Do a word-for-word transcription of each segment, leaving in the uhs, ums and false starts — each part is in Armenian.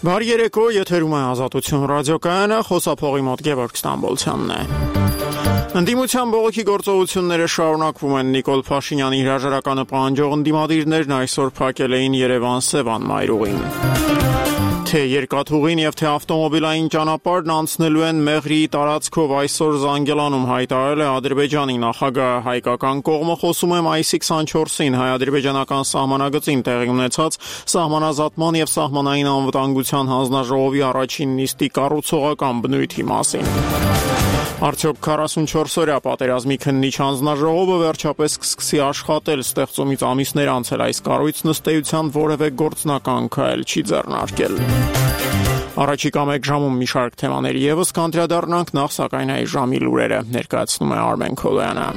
Բարի երեկո, եթերում է Ազատություն ռադիոկայանը, խոսափողի մոտ Գևորգ Ստամբոլցյանն է։ Ընդդիմության բողոքի գործողությունները շարունակվում են։ Նիկոլ Փաշինյանի հրաժարականը պահանջող ընդդիմադիրներն այսօր փակել էին Երևան-Սևան մայրուղին։ Թե երկաթուղին եւ թե ավտոմոբիլային ճանապարհն անցնելու են Մեղրիի տարածքով այսօր Զանգելանում հայտարարել է Ադրբեջանի նախագահը։ Հայկական կողմը խոսում է մայիսի քսանչորսին հայ-ադրբեջանական սահմանագծին տեղի ունեցած սահմանազատման եւ սահմանային անվտանգության հանձնաժողովի առաջին նիստի կառուցողական բնույթի մասին։ Արդյոք քառասունչորս-օրյա պատերազմի քննիչ հանձնաժողովը վերջապես կսկսի աշխատել։ Ստեղծումից ամիսներ անցել այս կառույցն ըստ էության որևէ գործնական քայլ չի ձեռնարկել։ Առաջիկա մեկ ժամում մի շարք թեմաների եւս կանդրադառնանք, նախ սակայն այս ժամի լուրերը ներկայացնում է Արմեն Քոլոյանը։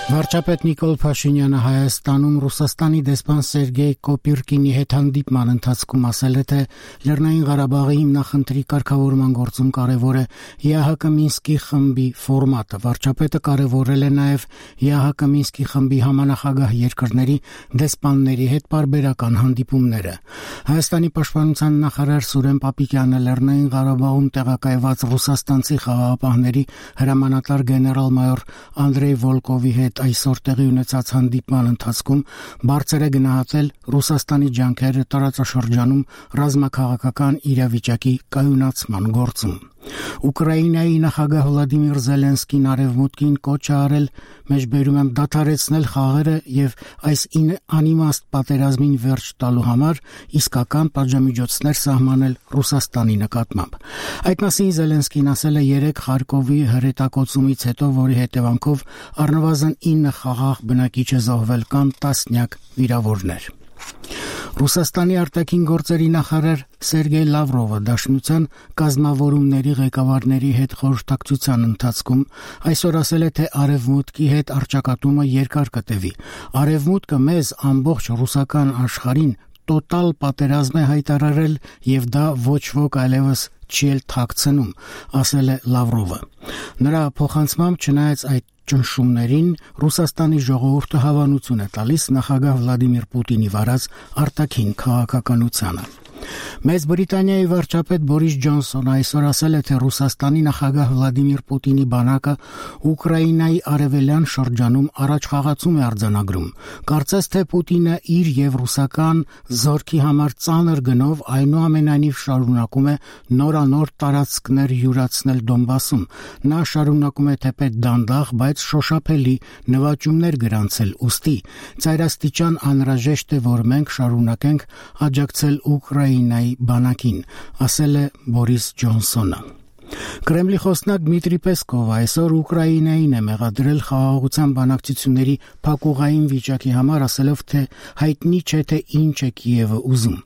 Վարչապետ Նիկոլ Փաշինյանը Հայաստանում Ռուսաստանի դեսպան Սերգեյ Կոպիրկինի հետ հանդիպման ընթացքում ասել է, թե Լեռնային Ղարաբաղի հիմնախնդրի կարգավորման գործում կարևոր է ԵԱՀԿ Մինսկի խմբի ֆորմատը։ Վարչապետը կարևորել է նաև ԵԱՀԿ Մինսկի խմբի համանախագահ երկրների դեսպանների հետ պարբերական հանդիպումները։ Հայաստանի պաշտպանության նախարար Սուրեն Պապիկյանը Լեռնային Ղարաբաղում տեղակայված ռուսաստանցի խաղաղապահների հրամանատար գեներալ-մայոր Անդրեյ Վոլկովի հետ այսօր տեղի ունեցած հանդիպման ընթացքում բարձր է գնահատել Ռուսաստանի ջանքերը տարածաշրջանում ռազմաքաղաքական իրավիճակի կայունացման գործում։ Ուկրաինայի նախագահ Վլադիմիր Զելենսկին արևմուտքին կոչ է արել մեջբերում եմ դադարեցնել խաղերը եւ այս անիմաստ պատերազմին վերջ տալու համար իսկական պատժամիջոցներ սահմանել Ռուսաստանի նկատմամբ։ Այդ մասին Զելենսկին ասել է երեկ Խարկովի հրետակոծումից հետո, որի հետևանքով առնվազն ինը խաղաղ բնակիչ է զոհվել, կան տասնյակ վիրավորներ։ Ռուսաստանի արտաքին գործերի նախարար Սերգեյ Լավրովը Դաշնության կազմավորումների ղեկավարների հետ խորհրդակցության ընթացքում այսօր ասել է, թե Արևմուտքի հետ առճակատումը երկար կտևի։ Արևմուտքը մեզ ամբողջ ռուսական աշխարհին տոտալ պատերազմ է հայտարարել եւ դա ոչ ոք այլևս չի էլ թաքցնում, ասել է Լավրովը։ Նրա փոխանցմամբ, չնայած այդ ճնշումներին, Ռուսաստանի ժողովուրդը հավանություն է տալիս նախագահ Վլադիմիր Պուտինի վարած արտաքին քաղաքականությանը։ Մեծ Բրիտանիայի վարչապետ Բորիս Ջոնսոնը այսօր ասել է, թե Ռուսաստանի նախագահ Վլադիմիր Պուտինի բանակը Ուկրաինայի արևելյան շրջանում առաջխաղացում է արձանագրում։ Կարծես թե Պուտինը իր եւ ռուսական զորքի համար ծանր գնով այնուամենայնիվ շարունակում է նորանոր տարածքներ յուրացնել Դոնբասում։ Նա շարունակում է թեպետ դանդաղ, բայց շոշափելի նվաճումներ գրանցել, ուստի ծայրաստիճան անհրաժեշտ է, որ մենք շարունակենք աջակցել Ուկրաինայի բանակին, ասել է Բորիս Ջոնսոնը։ Կրեմլի խոսնակ Դմիտրի Պեսկովը այսօր Ուկրաինային է մեղադրել խաղաղության բանակցությունների փակուղային վիճակի համար, ասելով, թե հայտնի չէ, թե ինչ է Կիևը ուզում։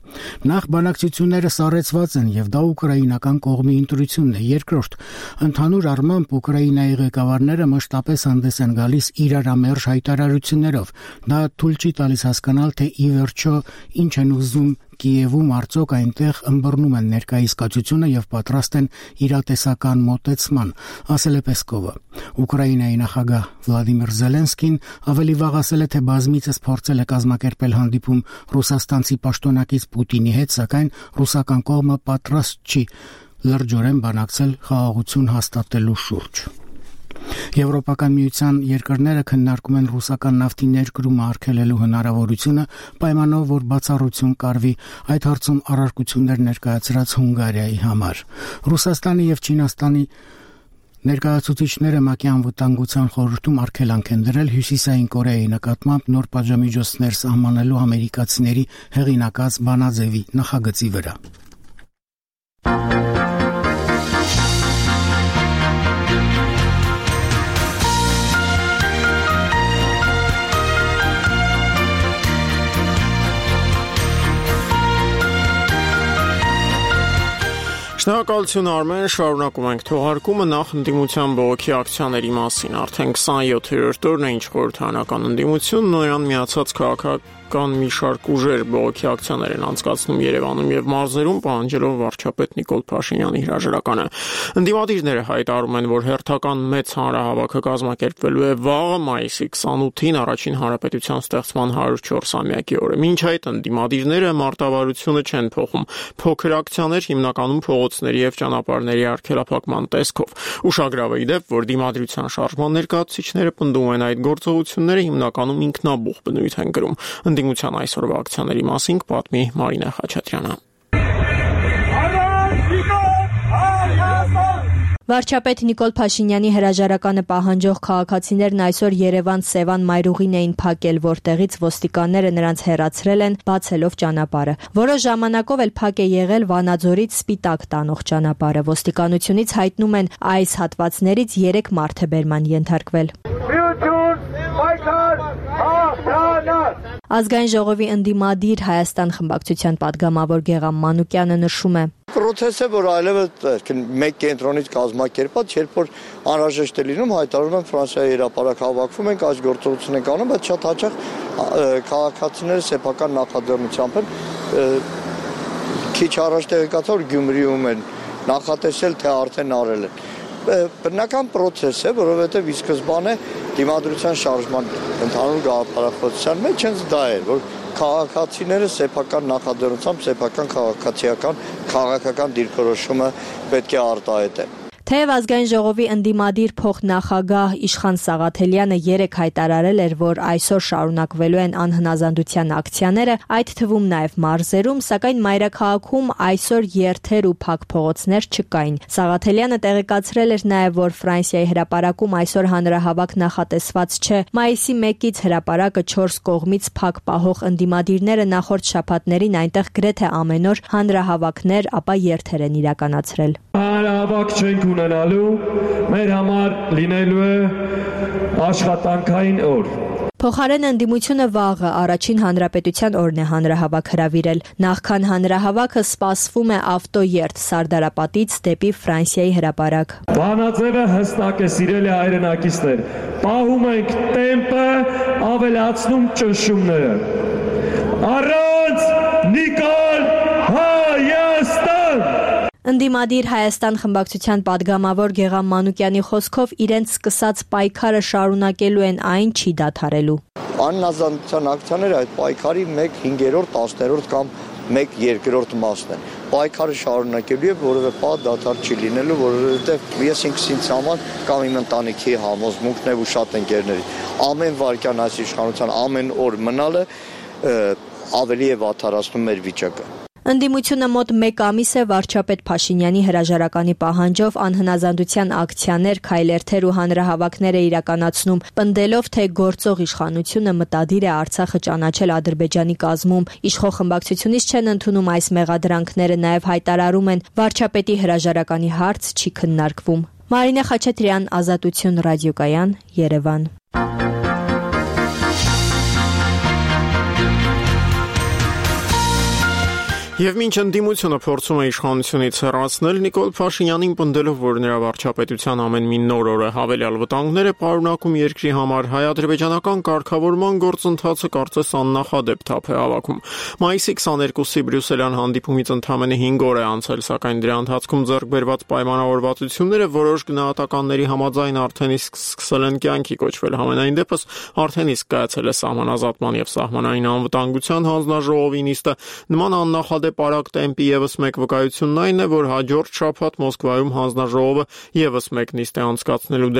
Նախ բանակցությունները սառեցված են եւ դա ուկրաինական կողմի ընտրությունն է։ Երկրորդ, ընդհանուր առմամբ Ուկրաինայի ղեկավարները մշտապես հանդես են գալիս իրարամերժ հայտարարություններով։ Դա թույլ չի տալիս հասկանալ, թե ի վերջո ինչ են ուզում Կիևում, արդյոք այնտեղ ըմբռնում են ներկայիսկացությունը եւ պատրաստ են իրատեսական մոտեցման, ասել է Պեսկովը։ Ուկրաինայի նախագահ Վլադիմիր Զելենսկին ավելի վաղ ասել է, թե բազմիցս փորձել է կազմակերպել հանդիպում ռուսաստանցի պաշտոնակից Պուտինի հետ, սակայն ռուսական կողմը պատրաստ չի լրջորեն բանակցել խաղաղություն հաստատելու շուրջ։ Եվրոպական միության երկրները քննարկում են ռուսական նավթի ներկրումը արգելելու հնարավորությունը, պայմանով որ բացառություն կարվի այդ հարցում առարկություններ ներկայացրած Հունգարիայի համար։ Ռուսաստանի եւ Չինաստանի ներկայացուցիչները ՄԱԿ-ի անվտանգության խորհրդում արգելանք են դրել Հյուսիսային Կորեայի նկատմամբ նոր պատժամիջոցներ սահմանելու ամերիկացիների հեղինակած բանաձևի նախագծի վրա։ Շնորհակալություն Արմեն, շարունակում ենք թողարկումը նախ ընդդիմության բողոքի ակցիաների մասին։ Արդեն քսանյոթերորդ օրն է ինչ խորհրդարանական ընդդիմությունն Նոյան միացած քաղաքական կան մի շարք ուժեր բողոքի ակցիաներ են անցկացնում Երևանում եւ մարզերում, պահանջելով վարչապետ Նիկոլ Փաշինյանի հրաժարականը։ Ընդդիմադիրները հայտարարում են, որ հերթական մեծ հանրահավաքը կազմակերպվելու է վաղը մայիսի քսանութին առաջին հանրապետության ստեղծման հարյուր չորսամյակի օրը։ Մինչ այդ ընդդիմադիրները մարտավարությունը չեն փոխում։ Փոքր ակցիաներ հիմնականում փողոցների եւ ճանապարհների արգելափակման տեսքով։ Ուշագրավ է դեպ, որ դիմադրության շարժման ներկայացուցիչները պնդում են այդ գործողությունները հիմնականում ինքնաբուխ բնույթ են կրում։ Ընդդիմության այսօրվա ակցիաների մասին կպատմի Մարինա Խաչատրյանը։ Վարչապետ Նիկոլ Փաշինյանի հրաժարականը պահանջող քաղաքացիներն այսօր Երևան-Սևան մայրուղին էին փակել, որտեղից ոստիկանները նրանց հեռացրել են, բացելով ճանապարհը։ Որոշ ժամանակով էլ փակ է եղել Վանաձորից Սպիտակ տանող ճանապարհը։ Ոստիկանությունից հայտնում են այս հատվածներից երեք մարդ է բերման ենթարկվել։ Ազգային ժողովի ընդդիմադիր Հայաստան խմբակցության падգամավոր Գեգամ Մանուկյանը նշում է. Պրոցեսը, որ այլևս մեկ կենտրոնից կազմակերպած, երբ որ անհրաժեշտ է լինում, հայտարարում են Ֆրանսիայի հրապարակ հավաքվում ենք, այս գործողություն ենք անում, բայց շատ հաճախ քաղաքացիները սեփական նախաձեռնությամբ են քիչ առաջ տեղեկացա, որ Գյումրիում են նախատեսել, թե արդեն արել են։ Բնական պրոցես է, որովհետև ի սկզբանե դիմադրության շարժման ընդհանուր գաղափարախոսության մեջ հենց դա էր, որ քաղաքացիները սեփական նախաձեռնությամբ, սեփական քաղաքացիական, քաղաքական դիրքորոշումը պետք է արտահայտեն։ Թեև Ազգային ժողովի ընդդիմադիր փոխնախագահ Իշխան Սաղաթելյանը երեկ հայտարարել էր, որ այսօր շարունակվելու են անհնազանդության ակցիաները, այդ թվում նաև մարզերում, սակայն մայրաքաղաքում այսօր երթեր ու փակ փողոցներ չկային։ Սաղաթելյանը տեղեկացրել էր նաև, որ Ֆրանսիայի հրապարակում այսօր հանրահավաք նախատեսված չէ։ Մայիսի մեկից հրապարակը չորս կողմից փակ պահող ընդդիմադիրները նախորդ շաբաթներին այնտեղ գրեթե ամեն օր հանրահավաքներ, ապա երթեր են իրականացրել։ Հանրահավաք չենք ունենալու, մեր համար լինելու է աշխատանքային օր։ Փոխարեն ընդդիմությունը վաղը առաջին հանրապետության օրն է հանրահավաք հրավիրել։ Նախքան հանրահավաքը սպասվում է ավտոերթ Սարդարապատից դեպի Ֆրանսիայի հրապարակ։ Վանաձևը հստակ է, սիրելի հայրենակիցներ, պահում ենք տեմպը, ավելացնում ճնշումները։ Առանց Նիկոլ Հայաստան։ Ընդդիմադիր Հայաստան խմբակցության падգամավոր Գեգամ Մանուկյանի խոսքով իրենց սկսած պայքարը շարունակելու են, այն չի դադարելու։ Անհնազանդության ակցիաները այդ պայքարի մեկ հինգերորդ, տասներորդ կամ մեկ երկրորդ մասն են։ Պայքարը շարունակելու է, որովհետև պա դադար չի լինելու, որովհետև ես ինքս ինձ համար կամ իմ ընտանիքի համոզմունքն է ու շատ ընկերների։ Ամեն վայրկյան այս իշխանության ամեն օր մնալը ավելի է վատթարացնում մեր վիճակը։ Ընդդիմությունը մոտ մեկ ամիս է վարչապետ Փաշինյանի հրաժարականի պահանջով անհնազանդության ակցիաներ, քայլերթեր ու հանրահավաքներ է իրականացնում, պնդելով, թե գործող իշխանությունը մտադիր է Արցախը ճանաչել Ադրբեջանի կազմում։ Իշխող խմբակցությունից չեն ընդունում այս մեղադրանքները, նաև հայտարարում են, վարչապետի հրաժարականի հարց չի քննարկվում։ Մարինա Խաչատրյան, Ազատություն ռադիոկայան, Երևան։ Եվ մինչ ընդդիմությունը փորձում է իշխանությունից հեռացնել, Նիկոլ Փաշինյանին պնդելով, որ նրա վարչապետության ամեն մի նոր օրը հավելյալ վտանգներ է պարունակում երկրի համար, հայ-ադրբեջանական կարգավորման գործընթացը կարծես աննախադեպ թափ է հավաքում։ Մայիսի քսաներկուսի Բրյուսելյան հանդիպումից ընդամենը հինգ օր է անցել, սակայն դրա ընթացքում ձեռք բերված պայմանավորվածությունները որոշ գնահատականների համաձայն արդեն իսկ սկսել են կյանքի կոչվել։ Համենայն դեպս արդեն իսկ կայացել է սահմանազատման եւ սահմանային անվտանգության հանձնաժողովի նիստը։ Նման աննախադեպ Պարակ տեմպի եւս մեկ վկայությունն այն է, որ հաջորդ շաբաթ Մոսկվայում հանձնաժողովը եւս մեկ նիստ է անցկացնելու,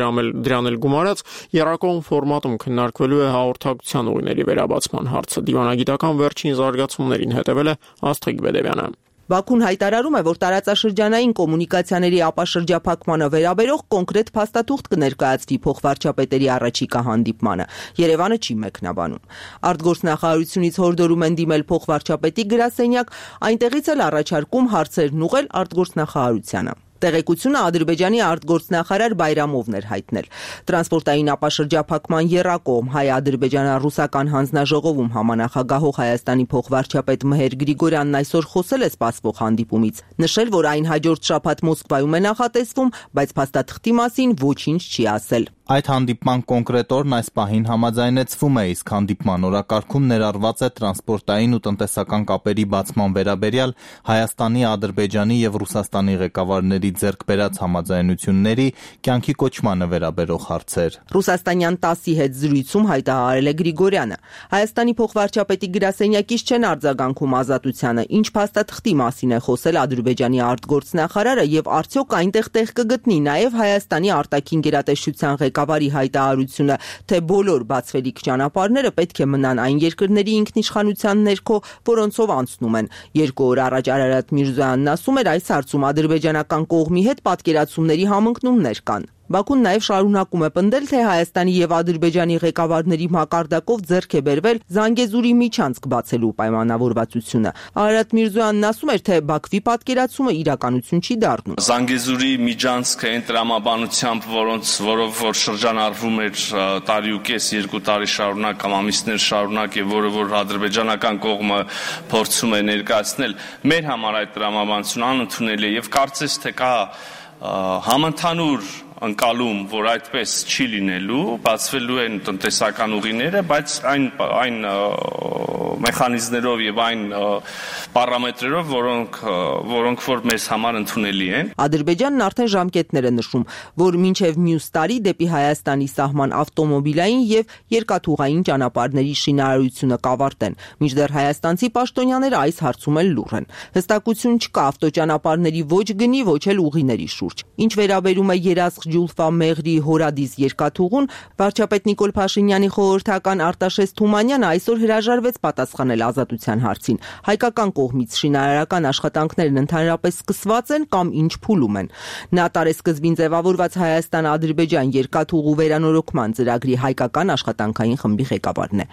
դրան էլ գումարած եռակողմ ֆորմատում քննարկվելու է հաղորդակցության ուղիների վերաբացման հարցը։ Դիվանագիտական վերջին զարգացումներին հետևել է Աստղիկ Բեդևյանը։ Բաքուն հայտարարում է, որ տարածաշրջանային կոմունիկացիաների ապաշրջափակմանը վերաբերող կոնկրետ փաստաթուղթ կներկայացվի փոխվարչապետերի առաջիկա հանդիպմանը։ Երևանը չի մեկնաբանում։ Արտգործնախարարությունից հորդորում են դիմել փոխվարչապետի գրասենյակ, այնտեղից էլ առաջարկում հարցերն ուղղել արտգործնախարարությանը։ Տեղեկությունը Ադրբեջանի արտգործնախարար Բայրամովն էր հայտնել։ Տրանսպորտային ապաշրջափակման եռակողմ հայ-ադրբեջանա-ռուսական հանձնաժողովում համանախագահող Հայաստանի փոխվարչապետ Մհեր Գրիգորյանն այսօր խոսել է սպասվող հանդիպումից, նշել, որ այն հաջորդ շաբաթ Մոսկվայում է նախատեսվում, բայց փաստաթղթի մասին ոչինչ չի ասել։ Այդ հանդիպման կոնկրետ օրն այս պահին համաձայնեցվում է, իսկ հանդիպման օրակարգում ներառված է տրանսպորտային ու տնտեսական կապերի բացման վերաբերյալ Հայաստանի, Ադրբեջանի եւ Ռուսաստանի ղեկավարների ձեռք բերած համաձայնությունների կյանքի կոչմանը վերաբերող հարցեր։ Ռուսաստանյան տասի հետ զրույցում հայտարարել է Գրիգորյանը. Հայաստանի փոխվարչապետի գրասենյակից չեն արձագանքում ազատությանը, ինչ փաստաթղթի մասին է խոսել Ադրբեջանի արտգործնախարարը եւ արդյոք այնտեղ տեղ կգտնի նաեւ Հայաստանի արտաքին գերատեսչության ղեկավարի հայտարարությունը, թե բոլոր բացվելիք ճանապարհները պետք է մնան այն երկրների ինքնիշխանության ներքո, որոնցով անցնում են։ Երկու օր առաջ Արարատ Միրզոյանն ասում էր, այս հարցում ադրբեջանական կողմի հետ պատկերացումների համընկնումներ կան։ Բաքուն նաև շարունակում է պնդել, թե Հայաստանի եւ Ադրբեջանի ղեկավարների մակարդակով ձեռք է բերվել Զանգեզուրի միջանցք բացելու պայմանավորվածությունը։ Արարատ Միրզոյանն ասում էր, թե Բաքվի պատկերացումը իրականություն չի դառնում։ Զանգեզուրի միջանցքը այն տրամաբանությամբ, որոնց որով որ շրջանառվում էր տարի ու կես, երկու տարի շարունակ կամ ամիսներ շարունակ եւ որը որ ադրբեջանական կողմը փորձում է ներկայացնել, մեր համար այդ տրամաբանությունը անընդունելի է եւ կարծես թե կա համընդհանուր ընկալում, որ այդպես չի լինելու, բացվելու են տնտեսական ուղիները, բայց այն այն մեխանիզմներով եւ այն պարամետրերով, որոնք որոնք որ մեզ համար ընդունելի են։ Ադրբեջանն արդեն ժամկետներ է նշում, որ մինչև մյուս տարի դեպի Հայաստանի սահման ավտոմոբիլային եւ երկաթուղային ճանապարհների շինարարությունը կավարտեն։ Մինչդեռ հայաստանցի պաշտոնյաները այս հարցում էլ լուռ են։ Հստակություն չկա ավտոճանապարհների ոչ գնի, ոչ էլ ուղիների շուրջ։ Ինչ վերաբերում է երազք Ջուլֆա Մեղրի Հորադիս երկաթուղուն, վարչապետ Նիկոլ Փաշինյանի խորհրդական Արտաշես Թումանյանը այսօր հրաժարվեց պատասխանել ազատության հարցին։ Հայկական կողմից շինարարական աշխատանքներն ընդհանրապես սկսված են կամ ինչ փուլում են։ Նա տարեսկզբին ձևավորված Հայաստան-Ադրբեջան երկաթուղու վերանորոգման ծրագրի հայկական աշխատանքային խմբի ղեկավարն է։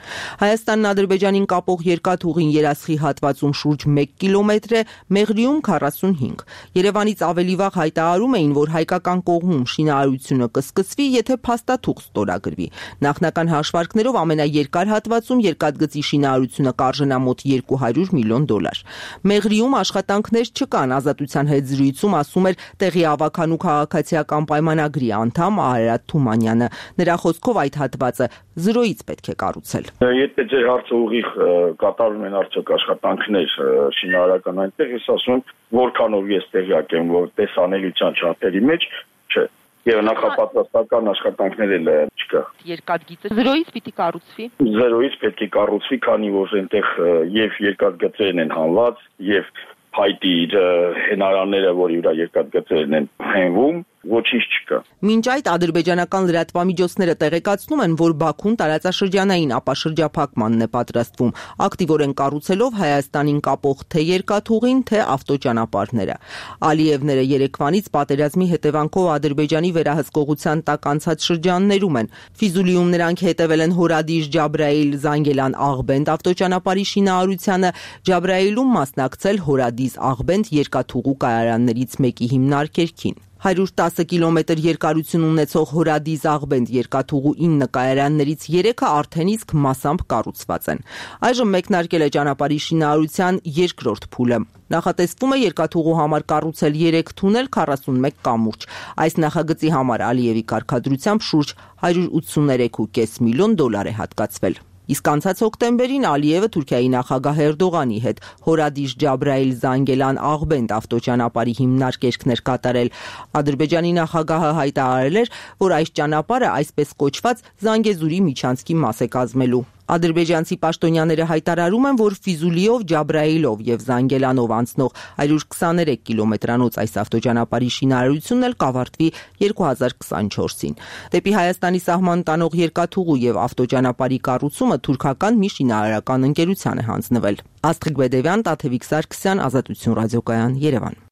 Հայաստանն Ադրբեջանին կապող երկաթուղին երասխի հատվածում շուրջ մեկ կիլոմետր է, Մեղրիում քառասունհինգ։ Երևանից ավելի վաղ հայտարարում էին, որ հայկական կողմում շինարարությունը կսկսվի, եթե փաստաթուղթ ստորագրվի։ Նախնական հաշվարկներով ամենաերկար հատվածում երկաթգծի շինարարությունը կարժենա մոտ երկու հարյուր միլիոն դոլար։ Մեղրիում աշխատանքներ չկան, ազատության հետ զրույցում ասում էր տեղի ավականու քաղաքացիական պայմանագրի անդամ Արարատ Թումանյանը։ Նրա խոսքով այդ հատվածը զրոյից պետք է կառուցել։ Եթե ձեր հարցը ուղիղ կատարում են արդյոք աշխատանքներ շինարարական այնտեղ, ես ասում եմ, որքանով ես տեղյակ եմ, որ տեսանելիության չափերի մեջ չէ։ Եվ նախապատրաստական աշխատանքներ էլ չկա։ Երկաթգիծը զրոյից պիտի կառուցվի։ Զրոյից պետք է կառուցվի, քանի որ այնտեղ եւ երկաթգծերն են հանված, եւ փայտի հենարանները, որի վրա երկաթգծերն են հենվում, ոչինչ չկա։ Մինչ այդ ադրբեջանական լրատվամիջոցները տեղեկացնում են, որ Բաքուն տարածաշրջանային ապաշրջափակմանն է պատրաստվում, ակտիվորեն կառուցելով Հայաստանին կապող թե երկաթուղին, թե ավտոճանապարհները։ Ալիևները երեկվանից պատերազմի հետևանքով Ադրբեջանի վերահսկողության տակ անցած շրջաններում են։ Ֆիզուլիում նրանք հետևել են Հորադիս Ջաբրայիլ Զանգելան Աղբենդ ավտոճանապարհի շինարարությանը, Ջաբրայիլում մասնակցել Հորադիս Աղբենդ երկաթուղու կայարաններից մեկի հիմնարկերքին։ հարյուր տասը կիլոմետր երկարություն ունեցող Հորադիս Աղբենդ երկաթուղու ինը կայարաններից երեքը արդեն իսկ մասամբ կառուցված են։ Այժմ մեկնարկել է ճանապարհի շինարարության երկրորդ փուլը։ Նախատեսվում է երկաթուղու համար կառուցել երեք թունել, քառասունմեկ կամուրջ։ Այս նախագծի համար Ալիևի կարգադրությամբ շուրջ հարյուր ութսուներեք ու կես միլիոն դոլար է հատկացվել։ Իսկ անցած հոկտեմբերին Ալիևը Թուրքիայի նախագահ Էրդողանի հետ Հորադիս Ջաբրայիլ Զանգելան Աղբենդ ավտոճանապարհի հիմնարկերքներ կատարել։ Ադրբեջանի նախագահը հայտարարել էր, որ այս ճանապարհը այսպես կոչված Զանգեզուրի միջանցքի մաս է կազմելու։ Ադրբեջանցի պաշտոնյաները հայտարարում են, որ Ֆիզուլիով, Ջաբրայիլով եւ Զանգելանով անցնող հարյուր քսաներեք կիլոմետրանոց այս ավտոճանապարհի շինարարությունն էլ կավարտվի երկու հազար քսանչորսին։ Դեպի Հայաստանի սահման տանող երկաթուղու եւ ավտոճանապարհի կառուցումը թուրքական մի շինարարական ընկերության է հանձնվել։ Աստղիկ Բեդևյան, Տաթևիկ Սարգսյան, Ազատություն ռադիոկայան, Երևան։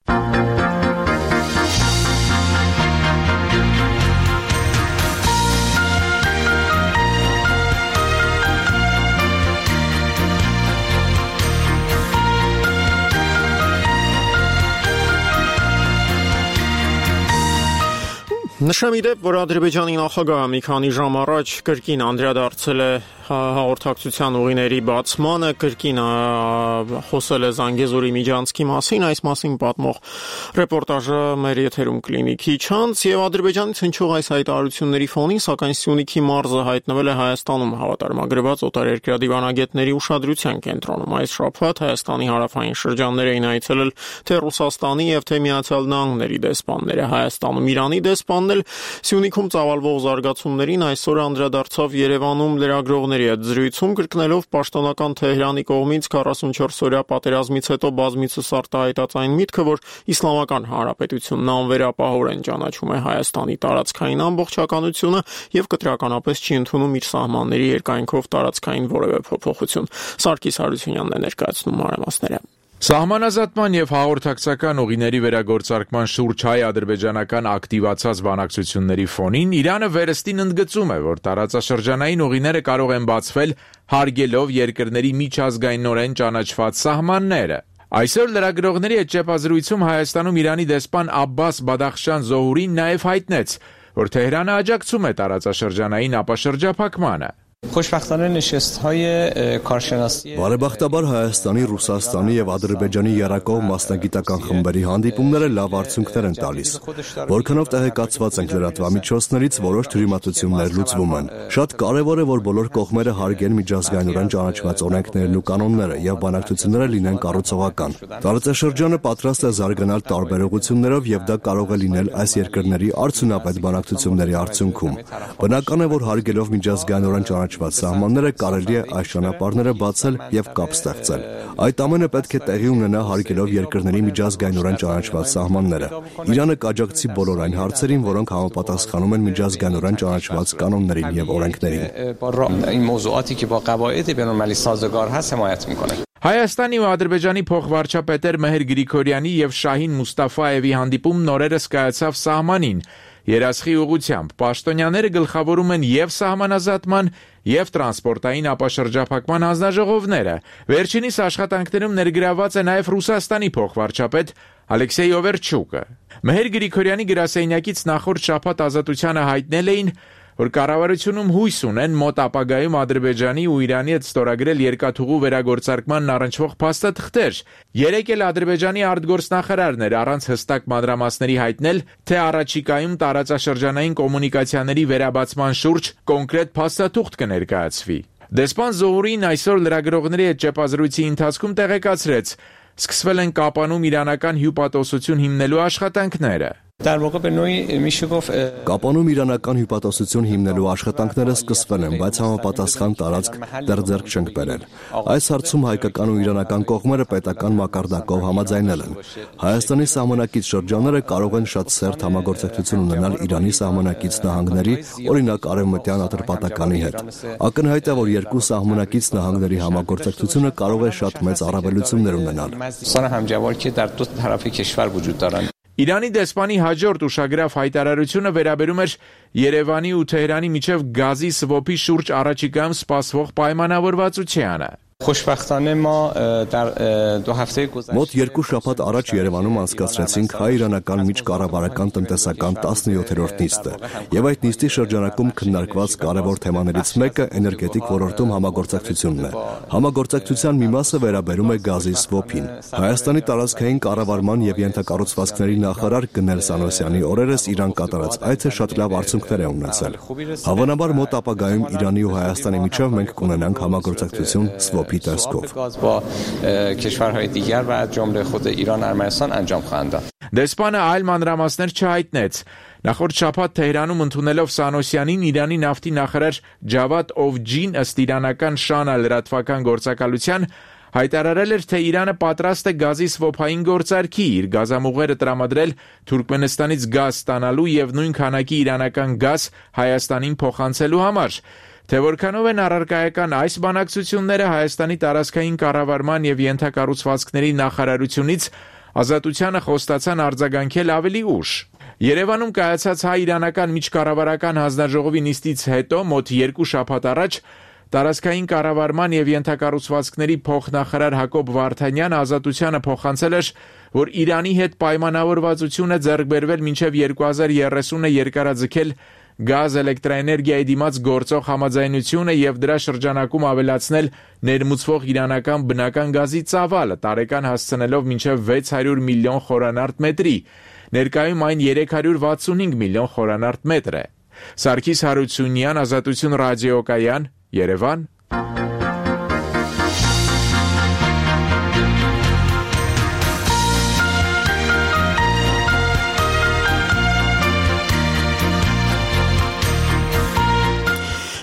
Նշեմ իդեպ, որ Ադրբեջանի նախագահը մի քանի ժամ առաջ կրկին անդրադարձել է հաղորդակցության ուղիների բացմանը կրկին խոսել է Զանգեզուրի միջանցքի մասին, այս մասին պատմող ռեպորտաժը մեր եթերում կլինի քիչ անց, եւ Ադրբեջանից հնչող այս հայտարարությունների ֆոնին, սակայն Սյունիքի մարզը հայտնվել է Հայաստանում հավատարմագրված օտարերկրյա դիվանագետների ուշադրության կենտրոնում։ Այս շաբաթ Հայաստանի հարավային շրջաններ էին այցելել թե Ռուսաստանի եւ թե Միացյալ Նահանգների դեսպանները։ Հայաստանում Իրանի դեսպանն էլ Սյունիքում ծավալվող զարգացումներին այսօր անդրադարձավ Երևանում լրագրողների հետ զրույցում, կրկնելով պաշտոնական Թեհրանի կողմից քառասունչորս-օրյա պատերազմից հետո բազմիցս արտահայտած այն միտքը, որ Իսլամական Հանրապետությունն անվերապահորեն ճանաչում է Հայաստանի տարածքային ամբողջականությունը եւ կտրականապես չի ընդունում իր սահմանների երկայնքով տարածքային որևէ փոփոխություն։ Սարգիս Հարությունյանն է ներկայացնում մանրամասները։ Սահմանազատման եւ հաղորդակցական ուղիների վերագործարկման շուրջ հայ-ադրբեջանական ակտիվացած բանակցությունների ֆոնին Իրանը վերստին ընդգծում է, որ տարածաշրջանային ուղիները կարող են բացվել հարգելով երկրների միջազգայինորեն ճանաչված սահմանները։ Այսօր լրագրողների հետ ճեպազրույցում Հայաստանում Իրանի դեսպան Աբբաս Բադախշան Զոհուրին նաեւ հայտնեց, որ Թեհրանը աջակցում է տարածաշրջանային ապաշրջափակմանը։ Բարեբախտաբար Հայաստանի, Ռուսաստանի եւ Ադրբեջանի երակող մասնագիտական խմբերի հանդիպումները լավ արդյունքներ են տալիս։ Որքանով տեղեկացված ենք լրատվամիջոցներից, որոշ թյուրիմացություններ լուծվում են։ Շատ կարեւոր է, որ բոլոր կողմերը հարգեն միջազգայինորեն ճանաչված օրենքներն ու կանոնները եւ բանակցությունները լինեն կառուցողական։ Տարածաշրջանը պատրաստ է զարգանալ տարբերողություններով եւ դա կարող է լինել այս երկրների արդյունավետ բանակցությունների արդյունքում։ Բնական է, որ հարգելով միջազգայինորեն ճանաչված սահմանները կարելի է այս ճանապարհները բացել եւ կապ ստեղծել։ Այդ ամենը պետք է տեղի ունենա հարգելով երկրների միջազգայինորեն ճանաչված սահմանները։ Իրանը կաջակցի բոլոր այն հարցերին, որոնք համապատասխանում են միջազգայինորեն ճանաչված կանոններին եւ օրենքներին։ Հայաստանի ու Ադրբեջանի փոխվարչապետեր Մեհեր Գրիգորյանի եւ Շահին Մուստաֆայևի հանդիպումն օրերս կայացավ սահմանին։ Երասխի ուղղությամբ պաշտոնյաները գլխավորում են եւ սահմանազատման, եւ տրանսպորտային ապաշրջափակման հանձնաժողովները։ Վերջինիս աշխատանքներում ներգրավված է նաեւ Ռուսաստանի փոխվարչապետ Ալեքսեյ Օվերչուկը։ Մեհեր Գրիգորյանի գրասենյակից նախորդ շաբաթ Ազատությանը հայտնել էին, որ կառավարությունում հույս ունեն մոտ ապագայում Ադրբեջանի ու Իրանի հետ ստորագրել երկաթուղու վերագործարկմանն առնչվող փաստաթղթեր։ Երեկ էլ Ադրբեջանի արտգործնախարարն էր առանց հստակ մանրամասների հայտնել, թե առաջիկայում տարածաշրջանային կոմունիկացիաների վերաբացման շուրջ կոնկրետ փաստաթուղթ կներկայացվի։ Դեսպան Զոհուրին այսօր լրագրողների հետ ճեպազրույցի ընթացքում տեղեկացրեց, սկսվել են Կապանում իրանական հյուպատոսություն հիմնելու աշխատանքները։ Կապանում իրանական հյուպատոսություն հիմնելու աշխատանքները սկսվել են, բայց համապատասխան տարածք դեռ ձեռք չենք բերել։ Այս հարցում հայկական ու իրանական կողմերը պետական մակարդակով համաձայնել են։ Հայաստանի սահմանակից շրջանները կարող են շատ սերտ համագործակցություն ունենալ Իրանի սահմանակից նահանգների, օրինակ Արևմտյան Ատրպատականի հետ։ Ակնհայտ է, որ երկու սահմանակից նահանգների համագործակցությունը կարող է շատ մեծ առավելություններ ունենալ։ Իրանի դեսպանի հաջորդ ուշագրավ հայտարարությունը վերաբերում էր Երևանի ու Թեհրանի միջև գազի սվոփի շուրջ առաջիկայում սպասվող պայմանավորվածությանը։ Մոտ երկու շաբաթ առաջ Երևանում անցկացրեցինք հայ-իրանական միջկառավարական տնտեսական տասնյոթերորդ նիստը, եւ այդ նիստի շրջանակում քննարկված կարևոր թեմաներից մեկը էներգետիկ ոլորտում համագործակցությունն է։ Համագործակցության մի մասը վերաբերում է գազի սվոփին։ Հայաստանի տարածքային կառավարման եւ ենթակառուցվածքների նախարար Գնել Սանոսյանի օրերս Իրան կատարած այցը շատ լավ արդյունքներ է ունեցել։ Հավանաբար մոտ ապագայում Իրանի ու Հայաստանի միջև մենք կունենանք համագործակցություն սվոփ Դեսպանը այլ մանրամասներ չհայտնեց։ Նախորդ շաբաթ Թեհրանում ընդունելով Սանոսյանին Իրանի նավթի նախարար Ջավադ Օվջին ըստ իրանական Շանա լրատվական գործակալության հայտարարել էր, թե Իրանը պատրաստ է գազի սվոփային գործարքի իր գազամուղերը տրամադրել Թուրքմենստանից գազ ստանալու եւ նույն քանակի իրանական գազ Հայաստանին փոխանցելու համար։ Թե որքանով են առարկայական այս բանակցությունները Հայաստանի տարածքային կառավարման եւ ենթակառուցվածքների նախարարությունից Ազատությանը խոստացան արձագանքել ավելի ուշ։ Երևանում կայացած հայ-իրանական միջկառավարական հանձնաժողովի նիստից հետո մոտ երկու շաբաթ առաջ տարածքային կառավարման եւ ենթակառուցվածքների փոխնախարար Հակոբ Վարդանյանը Ազատությանը փոխանցել էր, որ Իրանի հետ պայմանավորվածություն է ձեռք բերվել մինչեւ երկու հազար երեսունը երկարաձգել գազ էլեկտրաէներգիայի դիմաց գործող համաձայնությունը եւ դրա շրջանակում ավելացնել ներմուծվող իրանական բնական գազի ծավալը, տարեկան հասցնելով մինչև վեց հարյուր միլիոն խորանարդ մետրի։ Ներկայում այն երեք հարյուր վաթսունհինգ միլիոն խորանարդ մետր է։ Սարգիս Հարությունյան, Ազատություն ռադիոկայան, Երևան։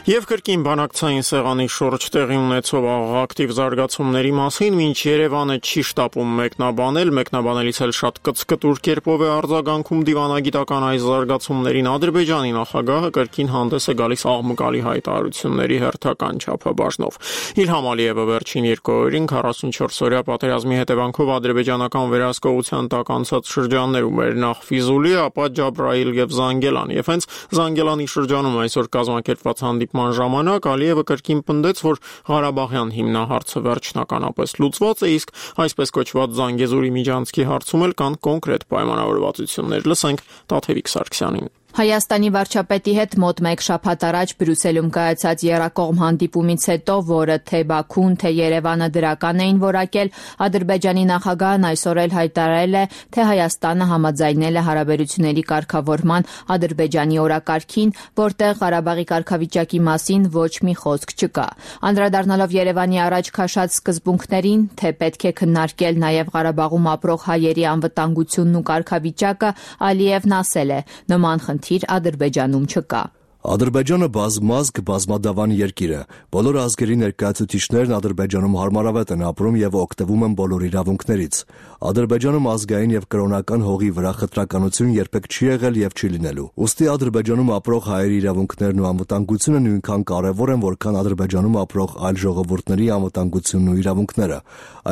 Եվ կրկին բանակցային սեղանի շուրջ տեղի ունեցող ակտիվ զարգացումների մասին մինչ Երևանը չի շտապում մեկնաբանել, մեկնաբանելիս էլ շատ կծկտուր կերպով է արձագանքում դիվանագիտական այս զարգացումներին, Ադրբեջանի նախագահը կրկին հանդես է գալիս աղմկալի հայտարարությունների հերթական չափաբաժնով։ Իլհամ Ալիևը վերջին երկու օրերին քառասունչորս-օրյա պատերազմի հետևանքով ադրբեջանական վերահսկողության տակ անցած շրջաններում էր նախ Ֆիզուլի, ապա Ջաբրայիլ եւ Զանգելան, եւ հենց Զանգելանի շրջանում այսօր կազմակերպված հանդիպման ժամանակ Ալիևը կրկին պնդեց, որ Ղարաբաղյան հիմնահարցը վերջնականապես լուծված է, իսկ այսպես կոչված Զանգեզուրի միջանցքի հարցում էլ կան կոնկրետ պայմանավորվածություններ։ Լսենք Տաթևիկ Սարգսյանին։ Հայաստանի վարչապետի հետ մոտ մեկ շաբաթ առաջ Բրյուսելում կայացած եռակողմ հանդիպումից հետո, որը թե Բաքուն, թե Երևանը դրական էին որակել, Ադրբեջանի նախագահն այսօր էլ հայտարարել է, թե Հայաստանը համաձայնել է հարաբերությունների կարգավորման Ադրբեջանի օրակարգին, որտեղ Ղարաբաղի կարգավիճակի մասին ոչ մի խոսք չկա։ Անդրադառնալով Երևանի առաջ քաշած սկզբունքներին, թե պետք է քննարկել նաև Ղարաբաղում ապրող հայերի անվտանգությունն ու կարգավիճակը, Ալիևն ասել է, նման խնդիր Ադրբեջանում չկա։ Ադրբեջանը բազմազգ, բազմադավան երկիր է։ Բոլոր ազգերի ներկայացուցիչներն Ադրբեջանում հարմարավետ են ապրում եւ օգտվում են բոլոր իրավունքներից։ Ադրբեջանում ազգային եւ կրոնական հողի վրա խտրականություն երբեք չի եղել եւ չի լինելու։ Ուստի Ադրբեջանում ապրող հայերի իրավունքներն ու անվտանգությունը նույնքան կարեւոր են, որքան Ադրբեջանում ապրող այլ ժողովուրդների անվտանգությունն ու իրավունքները։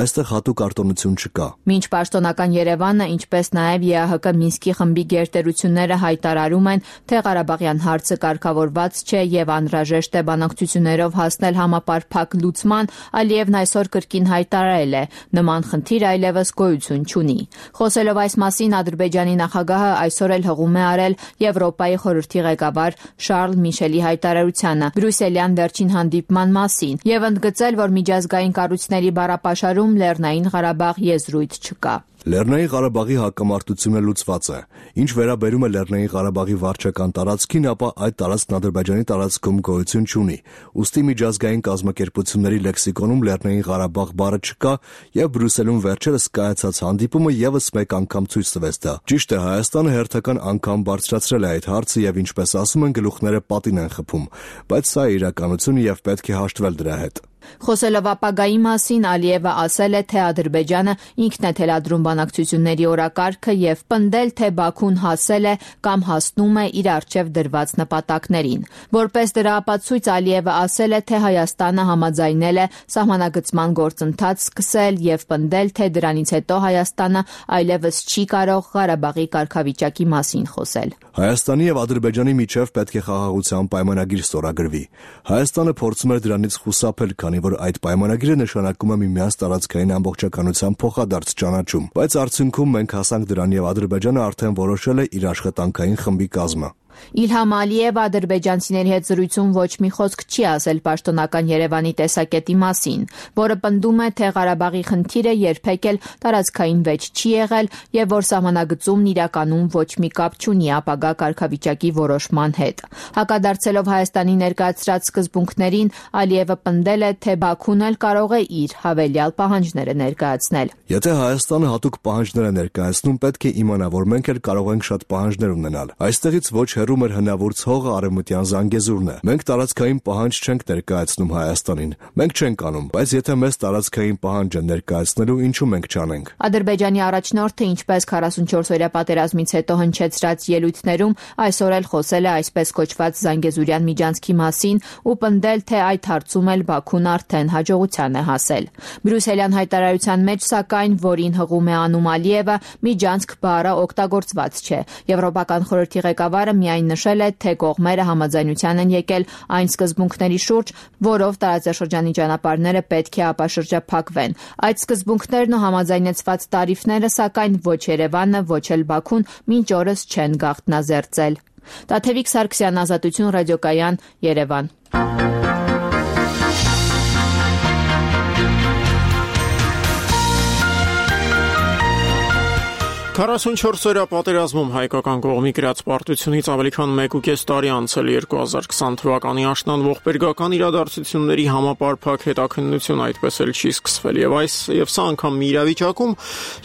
Այստեղ հատուկ արտոնություն չկա։ Մինչ պաշտոնական Երևանը, ինչպես նաեւ ԵԱՀԿ Մինսկի խմբի գերտերությունները հայտարարում են, թե Ղարաբաղյան հարցը կարգավորված չէ եւ անհրաժեշտ է բանակցություններով հասնել համապարփակ լուծման, Ալիևն այսօր կրկին հայտարարել է, նման խնդիր այլևս գոյություն չունի։ Խոսելով այս մասին, Ադրբեջանի նախագահը այսօր էլ հղում է արել Եվրոպայի խորհրդի ղեկավար Շարլ Միշելի հայտարարությանը բրյուսելյան վերջին հանդիպման մասին եւ ընդգծել, որ միջազգային կառույցների բառապաշարում Լեռնային Ղարաբաղ եզրույթ չկա։ Լեռնային Ղարաբաղի հակամարտությունը լուծված է։ Ինչ վերաբերում է Լեռնային Ղարաբաղի վարչական տարածքին, ապա այդ տարածքն Ադրբեջանի տարածքում գոյություն չունի։ Ուստի միջազգային կազմակերպությունների լեքսիկոնում Լեռնային Ղարաբաղ բառը չկա, եւ Բրյուսելում վերջերս կայացած հանդիպումը եւս մեկ անգամ ցույց տվեց դա։ Ճիշտ է, Հայաստանը հերթական անգամ բարձրացրել է այդ հարցը եւ ինչպես ասում են, գլուխները պատին են խփում, բայց սա է իրականությունը եւ պետք է հաշտվել դրա հետ։ Խոսելով ապագայի մասին, Ալիևը ասել է, թե Ադրբեջանը ինքն է թելադրում բանակցությունների օրակարգը եւ պնդել, թե Բաքուն հասել է կամ հասնում է իր առջև դրված նպատակներին։ Որպես դրա ապացույց, Ալիևը ասել է, թե Հայաստանը համաձայնել է սահմանագծման գործընթաց սկսել եւ պնդել, թե դրանից հետո Հայաստանը այլևս չի կարող Ղարաբաղի կարգավիճակի մասին խոսել։ Հայաստանի եւ Ադրբեջանի միջև պետք է խաղաղության պայմանագիր ստորագրվի։ Հայաստանը փորձում էր դրանից խուսափել, քանի որ այդ պայմանագիրը նշանակում է միմյանց տարածքային ամբողջականության փոխադարձ ճանաչում, բայց արդյունքում մենք հասանք դրան եւ Ադրբեջանը արդեն որոշել է իր աշխատանքային խմբի կազմը։ Իլհամ Ալիևը ադրբեջանցիների հետ զրույցում ոչ մի խոսք չի ասել պաշտոնական Երևանի տեսակետի մասին, որը պնդում է, թե Ղարաբաղի խնդիրը երբեք էլ տարածքային վեճ չի եղել եւ որ սահմանագծումն իրականում ոչ մի կապ չունի ապագա կարգավիճակի որոշման հետ։ Հակադարձելով Հայաստանի ներկայացրած սկզբունքներին, Ալիևը պնդել է, թե Բաքուն էլ կարող է իր հավելյալ պահանջները ներկայացնել։ Եթե Հայաստանը հատուկ պահանջներ է ներկայացնում, պետք է իմանա, որ մենք էլ կարող ենք շատ պահանջներ ունենալ։ Այստեղից ոչ հեռու մեր հնավուրց հողը Արևմտյան Զանգեզուրն է։ Մենք տարածքային պահանջ չենք ներկայացնում Հայաստանին։ Մենք չենք անում, բայց եթե մեզ տարածքային պահանջ են ներկայացնելու, ինչու մենք չանենք։ Ադրբեջանի առաջնորդը, ինչպես քառասունչորս-օրյա պատերազմից հետո հնչեցրած ելույթներում, այսօր էլ խոսել է այսպես կոչված Զանգեզուրյան միջանցքի մասին ու պնդել, թե այդ հարցում էլ Բաքուն արդեն հաջողության է հասել։ Բրյուսելյան հայտարարության մեջ, սակայն, որին հղում է անում Ալիևը, միջանցք բառը օգտագործված չէ։ Եվրոպական խորհրդի ղեկավարը միայն նշել է, թե կողմերը համաձայնության են եկել այն սկզբունքների շուրջ, որով տարածաշրջանի ճանապարհները պետք է ապաշրջափակվեն։ Այդ սկզբունքներն ու համաձայնեցված տարիֆները, սակայն ոչ Երևանը, ոչ էլ Բաքուն մինչ օրս չեն գաղտնազերծել։ Տաթևիկ Սարգսյան, Ազատություն ռադիոկայան, Երևան։ քառասունչորսօրյա պատերազմում հայկական կողմի գրած պարտությունից ավելի քան մեկ ու կես տարի անցել երկու հազար քսան թվականի աշնան ողբերգական իրադարձությունների համապարփակ հետաքննություն այդպես էլ չի սկսվել եւ այս եւ սա անգամ մի իրավիճակում,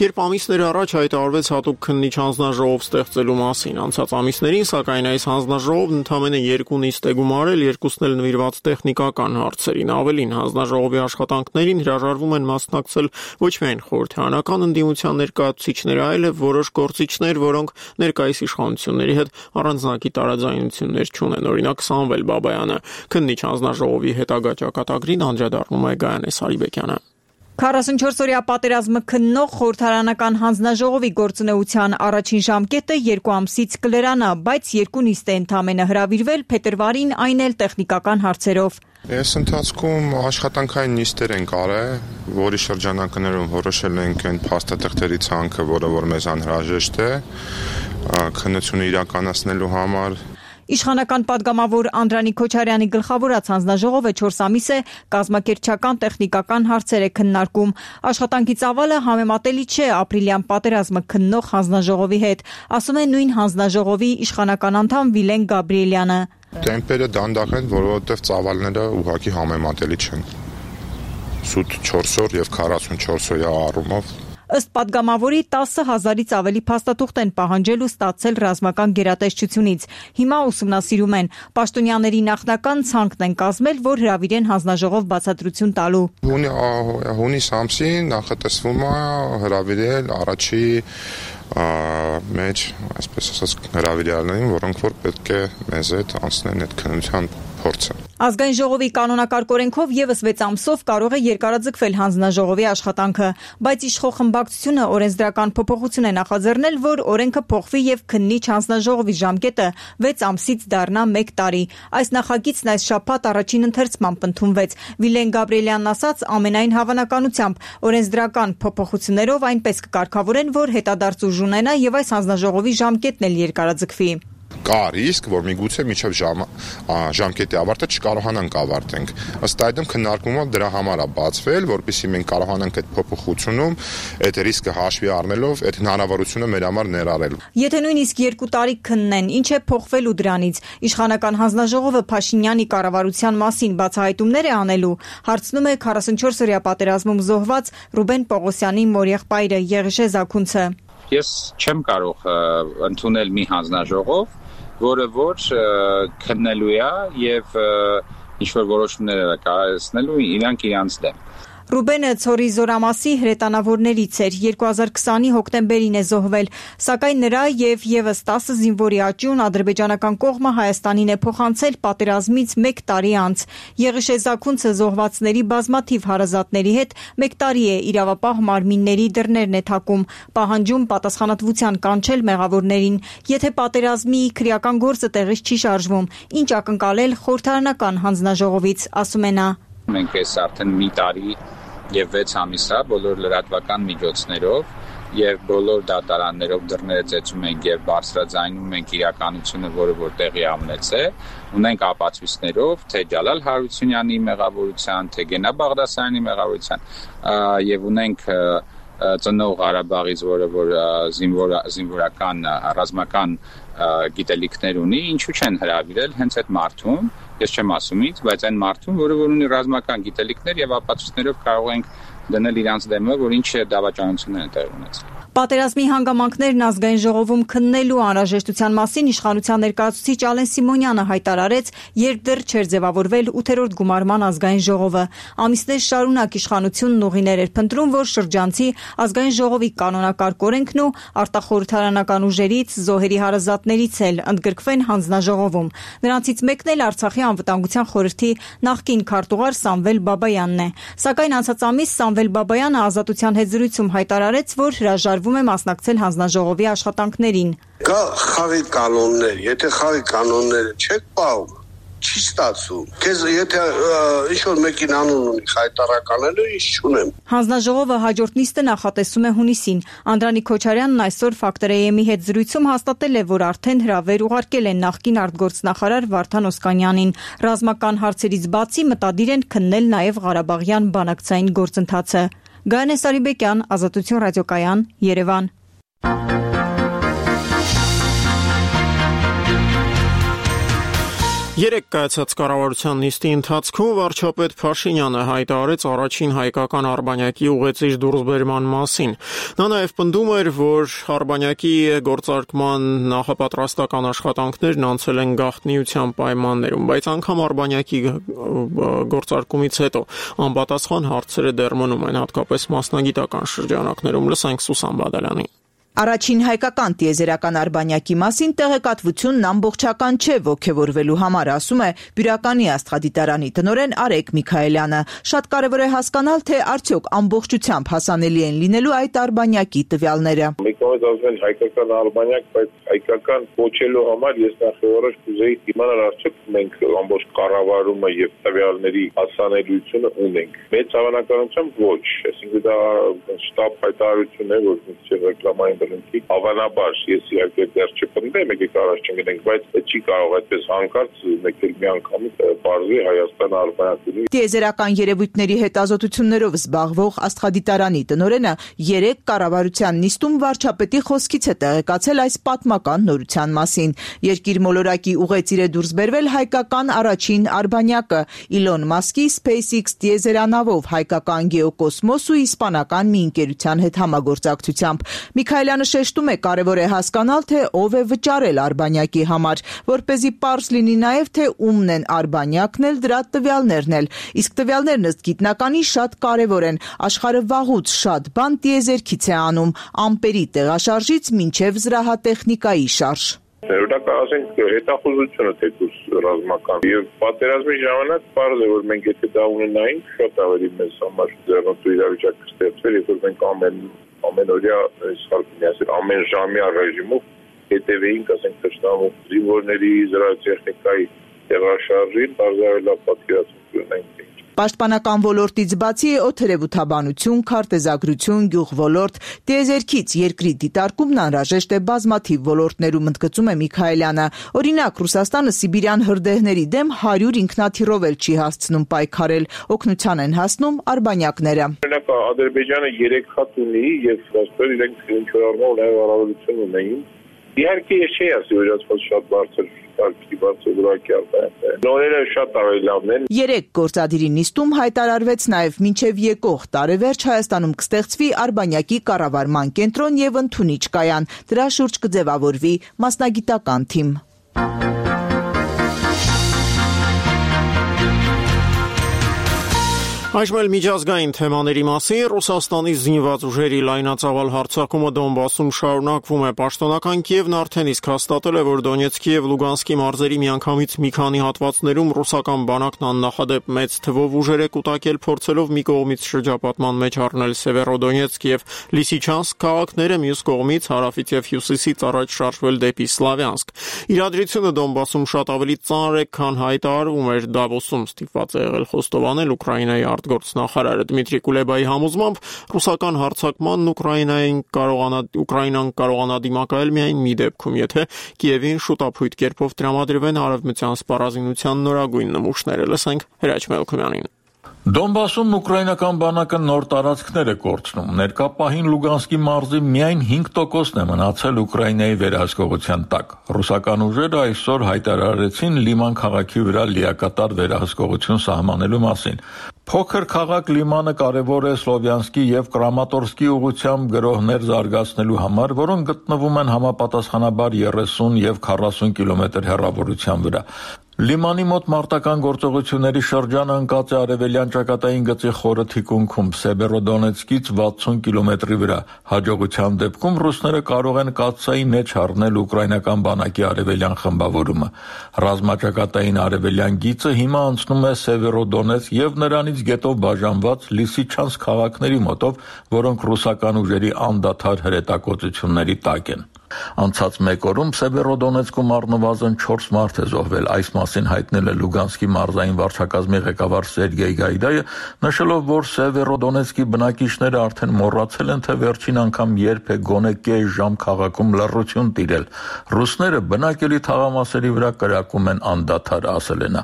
երբ ամիսներ առաջ հայտարարվեց հատուկ քննիչ հանձնաժողով ստեղծելու մասին։ Անցած ամիսներին, սակայն, այս հանձնաժողովն ընդամենը երկու նիստ է գումարել, երկուսն էլ նվիրված տեխնիկական հարցերին։ Ավելին, հանձնաժողովի աշխատանքներին հրաժարվում են մասնակցել ոչ միայն խորհրդարանական ընդդիմության ներկայացուցիչները, այլև որոշ գործիչներ, որոնք ներկայիս իշխանությունների հետ առանձնակի տարաձայնություններ չունեն։ Օրինակ Սամվել Բաբայանը քննիչ հանձնաժողովի հետագա ճակատագրին անդրադառնում է Գայանե Սարիբեկյանը։ քառասունչորսօրյա պատերազմը քննող խորհրդարանական հանձնաժողովի գործունեության առաջին ժամկետը երկու ամսից կլրանա, բայց երկու նիստ է ընդամենը հրավիրվել, փետրվարին այն էլ տեխնիկական հարցերով։ Այս ընթացքում աշխատանքային նիստեր ենք արել, որի շրջանակներում որոշել ենք այն փաստաթղթերի ցանկը, որը որ մեզ անհրաժեշտ է քննությունը իրականացնելու համար։ Իշխանական պատգամավոր Անդրանիկ Քոչարյանի գլխավորած հանձնաժողովը չորս ամիս է կազմակերպչական տեխնիկական հարցեր է քննարկում։ Աշխատանքի ծավալը համեմատելի չէ ապրիլյան պատերազմը քննող հանձնաժողովի հետ, ասում է նույն հանձնաժողովի իշխանական անդամ Վիլեն Գաբրիելյանը։ Տեմպերը դանդաղ են, որովհետև ծավալները ուղղակի համեմատելի չեն։ Սուտ չորս օր եւ քառասունչորս օրյա առումով։ Ըստ պատգամավորի տասը հազարից ավելի փաստաթուղթ են պահանջել ու ստացել ռազմական գերատեսչությունից։ Հիմա ուսումնասիրում են։ Պաշտոնյաների նախնական ցանկն են կազմել, որ հրավիրեն հանձնաժողով բացատրություն տալու։ Հունիս ամսին նախատեսվում է հրավիրել առաջի մեջ, այսպես ասած, հրավիրյալներին, որոնք որ պետք է մեզ հետ անցնեն այդ քննության փորձը։ Ազգային ժողովի կանոնակարգ օրենքով եւս վեց ամսով կարող է երկարաձգվել հանձնաժողովի աշխատանքը, բայց իշխող խմբակցությունը օրենսդրական փոփոխություն է նախաձեռնել, որ օրենքը փոխվի եւ քննիչ հանձնաժողովի ժամկետը վեց ամսից դառնա մեկ տարի։ Այս նախագիծն այս շաբաթ առաջին ընթերցմամբ ընդունվեց։ Վիլեն Գաբրիելյանն ասաց, ամենայն հավանականությամբ օրենսդրական փոփոխություններով այնպես կկարգավորեն, որ հետադարձ ուժ ունենա եւ այս հանձնաժողովի ժամկետն էլ երկարաձգվի։ Կա ռիսկ, որ միգուցե միջև ժամ, ժամկետի ավարտը չկարողանանք ավարտենք։ Ըստ այդմ քննարկումը դրա համար է բացվել, որպեսզի մենք կարողանանք այդ փոփոխությունում այդ ռիսկը հաշվի առնելով այդ հնարավորությունը մեր համար ներառել։ Եթե նույնիսկ երկու տարի քննեն, ինչ է փոխվելու դրանից։ Իշխանական հանձնաժողովը Փաշինյանի կառավարության մասին բացահայտումներ է անելու, հարցնում է քառասունչորսօրյա պատերազմում զոհված Ռուբեն Պողոսյանի մորեղբայրը Եղիշե Զաքունցը։ Ես չեմ կարող ընդունել մի հանձնաժողով, որը որ քննելու է եւ ինչ որ որոշումներ կայացնելու իրանք իրանց դեմ։ Ռուբենը Ցորի Զորամասի հրետանավորներից էր, երկու հազար քսանի հոկտեմբերին է զոհվել, սակայն նրա եւ եւս տասը զինվորի աճյուն ադրբեջանական կողմը Հայաստանին է փոխանցել պատերազմից մեկ տարի անց։ Եղիշե Զաքունցը զոհվածների բազմաթիվ հարազատների հետ մեկ տարի է իրավապահ մարմինների դռներն է թակում, պահանջում պատասխանատվության կանչել մեղավորներին։ Եթե պատերազմի քրեական գործը տեղից չի շարժվում, ինչ ակնկալել խորհրդարանական հանձնաժողովից, ասում է նա։ Մենք այս արդեն մի տարի եւ վեց ամիսա բոլոր լրատվական միջոցներով եւ բոլոր դատարաններով դռները ծեծում ենք եւ բարձրաձայնում ենք իրականությունը, որը որ տեղի ունեցել, ունենք ապացույցներով, թե Ջալալ Հարությունյանի մեղավորության, թե Գենա Բաղդասարյանի մեղավորության եւ ունենք ծնող Ղարաբաղից, որը որ զինվոր զինվորական ռազմական գիտելիքներ ունի, ինչու չեն հրավիրել հենց այդ մարդուն, ես չեմ ասում ինձ, բայց այն մարդուն, որը որ ունի ռազմական գիտելիքներ եւ ապացույցներով կարող ենք դնել իրանց դեմը, որ ինչ դավաճանություններ են տեղի ունեցել։ Պատերազմի հանգամանքներն ազգային ժողովում քննելու անհրաժեշտության մասին իշխանության ներկայացուցիչ Ալեն Սիմոնյանը հայտարարեց, երբ դեռ չէր ձևավորվել ութերորդ գումարման ազգային ժողովը։ Ամիսներ շարունակ իշխանությունն ուղիներ էր փնտրում, որ շրջանցի ազգային ժողովի կանոնակարգ օրենքն ու արտախորհրդարանական ուժերից, զոհերի հարազատներից էլ ընդգրկվեն հանձնաժողովում։ Նրանցից մեկն էլ Արցախի անվտանգության խորհրդի նախկին քարտուղար Սամվել Բաբայանն է։ Սակայն անցած ամիս Սամվել Բաբայանը Ազատության հետ զրույցում հայտարարեց, որ հրաժարվում է մասնակցել հանձնաժողովի աշխատանքներին։ Կա խաղի կանոններ, եթե խաղի կանոնները չեք պահում, չի ստացվում։ Քեզ եթե ինչ որ մեկին անուն ունի հայտարարականելու, ինչ չունեմ։ Հանձնաժողովը հաջորդ նիստը նախատեսում է հունիսին։ Անդրանիկ Քոչարյանն այսօր Factor.am-ի հետ զրույցում հաստատել է, որ արդեն հրավեր ուղարկել են նախկին արտգործնախարար Վարդան Օսկանյանին։ Ռազմական հարցերից բացի մտադիր են քննել նաև Ղարաբաղյան բանակցային գործընթացը։ Գայանե Սարիբեկյան, Ազատություն ռադիոկայան, Երևան։ Երեք կայացած կառավարության նիստի ընթացքում վարչապետ Փաշինյանը հայտարարեց առաջին հայկական արբանյակի ուղեցիր դուրսբերման մասին։ Նա նաև պնդում էր, որ արբանյակի գործարկման նախապատրաստական աշխատանքներն անցել են գաղտնիության պայմաններում, բայց անգամ արբանյակի գործարկումից հետո անպատասխան հարցերը դեռ մնում են, հատկապես մասնագիտական շրջանակներում։ Լսենք Սուսան Բադալյանին։ Առաջին հայկական տիեզերական արբանյակի մասին տեղեկատվությունն ամբողջական չէ ոգևորվելու համար, ասում է Բյուրականի աստղադիտարանի տնօրեն Արեգ Միքայելյանը։ Շատ կարևոր է հասկանալ, թե արդյոք ամբողջությամբ հասանելի են լինելու այդ արբանյակի տվյալները։ Մեկ կողմից ասում են հայկական արբանյակ, բայց հայկական կոչելու համար ես նախավորոշ կուզեի իմանալ արդյոք մենք ամբողջ կառավարումը եւ տվյալների հասանելիությունը ունենք։ Մեծ հավանականությամբ ոչ, այսինքն դա շտաբ հայտարարություն է, որ մենք ռեկլամային Հավանաբար, ես իհարկե դեռ չպնդեմ, եկեք առաջ չգնենք, բայց չի կարող այդպես հանկարծ մեկ էլ մի անգամից բարձրի Հայաստանը արբանյակի։ Տիեզերական երևույթների հետազոտություններով զբաղվող աստղադիտարանի տնօրենը երեք կառավարության նիստում վարչապետի խոսքից է տեղեկացել այս պատմական նորության մասին։ Երկիր մոլորակի ուղեցիր է դուրս բերվել հայկական առաջին արբանյակը Իլոն Մասկի SpaceX տիեզերանավով հայկական գեոկոսմոս ու իսպանական մի ընկերության հետ համագործակցությամբ։ Միքայելյանը շեշտում է, կարևոր է հասկանալ, թե ով է վճարել արբանյակի համար, որպեսզի պարզ լինի նաև, թե ումն են արբանյակն էլ, դրա տվյալներն էլ։ Իսկ տվյալներն ըստ գիտնականի շատ կարևոր են։ Աշխարհը վաղուց շատ բան տիեզերքից է անում, ամպերի տեղաշարժից մինչև զրահատեխնիկայի շարժ։ Օրինակ ասենք հետախուզությունը թեկուզ ռազմական եւ պատերազմի ժամանակ պարզ է, որ մենք եթե դա ունենայինք, շատ ավելի մեծ համար ձեռնտու իրավիճակ կստեղծվեր, երբ որ մենք ամեն ամենօրյա իսկական ամեն ժամյա ռեժիմով հետևեինք, ասենք թշնամու զինվորների զրահատեխնիկայի տեղաշարժին, բարձրավելա պատկերացում ունենք։ Պաշտպանական ոլորտից բացի օդերևութաբանություն, քարտեզագրություն, գյուղոլորտ, տիեզերքից երկրի դիտարկումն անհրաժեշտ է բազմաթիվ ոլորտներում, ընդգծում է Միքայելյանը։ Օրինակ, Ռուսաստանը սիբիրյան հրդեհների դեմ հարյուր ինքնաթիռով էլ չի հասցնում պայքարել, օգնության են հասնում արբանյակները։ Օրինակ, Ադրբեջանը երեք հատ ունի եւ ոստոր իրենք ինչ-որ առումով նաեւ առավելություն ունեին։ Իհարկե, ես չի ասի, որ իրաց շատ բարձր Նորերը շատ ավելի լավն են։ Երեք գործադիրի նիստում հայտարարվեց նաև մինչև եկող տարեվերջ Հայաստանում կստեղծվի արբանյակի կառավարման կենտրոն եւ ընդունիչ կայան։ Դրա շուրջ կձևավորվի մասնագիտական թիմ։ Այժմ էլ միջազգային թեմաների մասին Ռուսաստանի զինված ուժերի լայնածավալ հարձակումը Դոնբասում շարունակվում է։ Պաշտոնական Կիևն արդեն իսկ հաստատել է, որ Դոնեցկի եւ Լուգանսկի մարզերի միանգամից մի քանի հատվածներում ռուսական բանակն աննախադեպ մեծ թվով ուժեր է կուտակել, փորձելով մի կողմից շրջապատման մեջ առնել Սևերոդոնեցկ եւ Լիսիչանսկ քաղաքները, մյուս կողմից հարավից եւ հյուսիսից առաջ շարժվել դեպի Սլավյանսկ։ Իրադրությունը Դոնբասում շատ ավելի ծանր է, քան հայտարարվում էր։ Դավոսում ստիպված է եղել խոստովանել Ուկրաինայի արտգործնախարարը Դմիտրի Կուլեբայի համոզմամբ ռուսական հարձակմանն Ուկրաինային կարողանա Ուկրաինան կարողանա դիմակայել միայն մի դեպքում, եթե Կիևին շուտապույտ կերպով տրամադրվեն արևմտյան սպառազինության նորագույն նմուշները։ Լսենք Հրաչ Մելքումյանին։ Դոնբասում ուկրաինական բանակը նոր տարածքներ է կորցնում։ Ներկա պահին Լուգանսկի մարզի միայն հինգ տոկոսն է մնացել Ուկրաինայի վերահսկողության տակ։ Ռուսական ուժերը այսօր հայտարարեցին Լիման քաղաքի վրա լիակատար վերահսկողություն սահմանելու մասին։ Փոքր քաղաք Լիմանը կարևոր է Սլովյանսկի եւ Կրամատորսկի ուղղությամբ գրոհներ զարգացնելու համար, որոնք գտնվում են համապատասխանաբար երեսուն եւ քառասուն կիլոմետր հեռավորության վրա։ Լիմանի մոտ մարտական գործողությունների շրջանը ընկած է արևելյան ճակատային գծի խորը թիկունքում Սեբերոդոնեցկից վաթսուն կիլոմետրի վրա։ Հաջողության դեպքում ռուսները կարող են կաթսայի մեջ առնել ուկրաինական բանակի արևելյան խմբավորումը։ Ռազմաճակատային արևելյան գիծը հիմա անցնում է Սևերոդոնեցկ եւ նրանից գետով բաժանված Լիսիչանսկ քաղաքների մոտով, որոնք ռուսական ուժերի անդադար հրետակոծությունների տակ են։ Անցած մեկ օրում Սևերոդոնեցկում առնվազն չորս մարդ է զոհվել։ Այս մասին հայտնել է Լուգանսկի մարզային վարչակազմի ղեկավար Սերգեյ Գայդայը, նշելով, որ Սևերոդոնեցկի բնակիչները արդեն մոռացել են, թե վերջին անգամ երբ է գոնե կես ժամ քաղաքում լռություն տիրել։ Ռուսները բնակելի թաղամասերի վրա կրակում են անդադար, ասել է նա։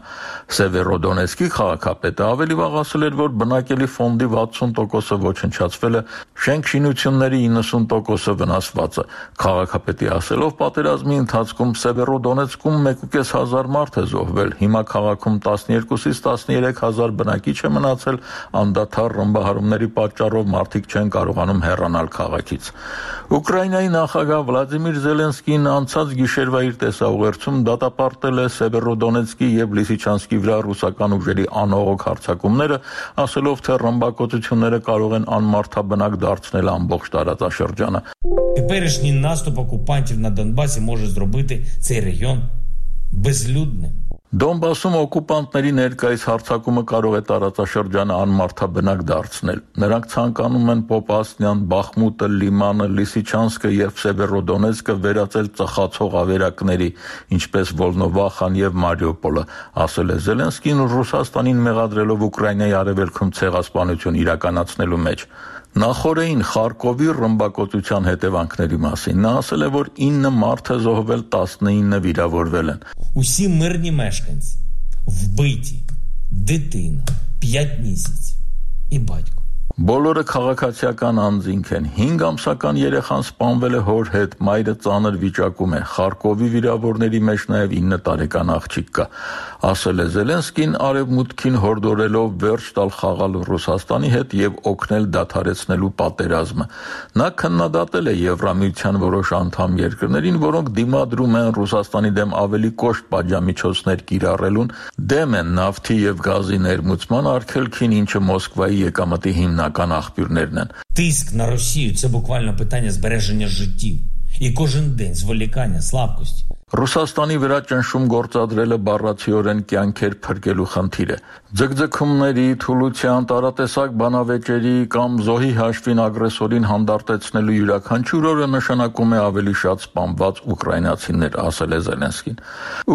Սևերոդոնեցկի քաղաքապետը ավելի վաղ ասել էր, որ բնակելի ֆոնդի վաթսուն տոկոսը ոչնչացվել է, շենք-շինությունների իննսուն տոկոսը վնասված է։ Քաղաքապետի ասելով, պատերազմի ընթացքում Սևերոդոնեցկում մեկ ու կես հազար մարդ է զոհվել, հիմա քաղաքում տասներկուսից տասներեք հազար բնակիչ է մնացել, անդադար ռմբահարումների պատճառով մարդիկ չեն կարողանում հեռանալ քաղաքից։ Ուկրաինայի նախագահ Վլադիմիր Զելենսկին անցած գիշերվա իր տեսաուղերձում դատապարտել է Սևերոդոնեցկի եւ Լիսիչանսկի վրա ռուսական ուժերի անողոք հարձակումները, ասելով, թե ռմբակոծությունները կարող են անմարդաբնակ դարձնել ամբողջ տարածաշրջանը։ Теперішній наступ окупантів на Донбасі може зробити цей регіон безлюдним. Դոնբասում օկուպանտների ներկայիս հարձակումը կարող է տարածաշրջանը անմարդաբնակ դարձնել։ Նրանք ցանկանում են Պոպասնյան, Բախմուտը, Լիմանը, Լիսիչանսկը եւ Սևերոդոնեցկը վերածել ծխացող ավերակների, ինչպես Վոլնովախան եւ Մարիուպոլը, ասել է Զելենսկին Ռուսաստանին մեղադրելով Ուկրաինայի արևելքում ցեղասպանություն իրականացնելու մեջ։ Նախորդին Խարկովի ռմբակոծության հետևանքների մասին նա ասել է, որ ինը մարդ է զոհվել, տասնինը վիրավորվել են։ Усі мирні мешканці вбиті, дитина, п'ять місяців і батько. Բոլորը քաղաքացիական անձինք են։ հինգ ամսական երեխան սպանվել է հոր հետ, մայրը ծանր վիճակում է։ Խարկովի վիրավորների մեջ նաև ինը տարեկան աղջիկ կա, ասել է Զելենսկին, արևմուտքին հորդորելով վերջ տալ խաղալ Ռուսաստանի հետ եւ օգնել դադարեցնելու պատերազմը։ Նա քննադատել է Եվրամիության որոշ անդամ երկրներին, որոնք դիմադրում են Ռուսաստանի դեմ ավելի կոշտ պատժամիջոցներ կիրառելուն, դեմ են նավթի եւ գազի ներմուծման արգելքին, ինչը Մոսկվայի եկամտի հիմնական աղբյուրներն են։ Тиск на Росію – це буквально питання збереження життів. І кожен день зволікання, слабкості. Ռուսաստանի վրա ճնշում գործադրելը բառացիորեն կյանքեր փրկելու խնդիր է։ Ձգձգումների, թուլության, տարատեսակ բանավեճերի կամ զոհի հաշվին ագրեսորին հանդարտեցնելու յուրաքանչյուր օրը նշանակում է ավելի շատ սպանված ուկրաինացիներ, ասել է Զելենսկին։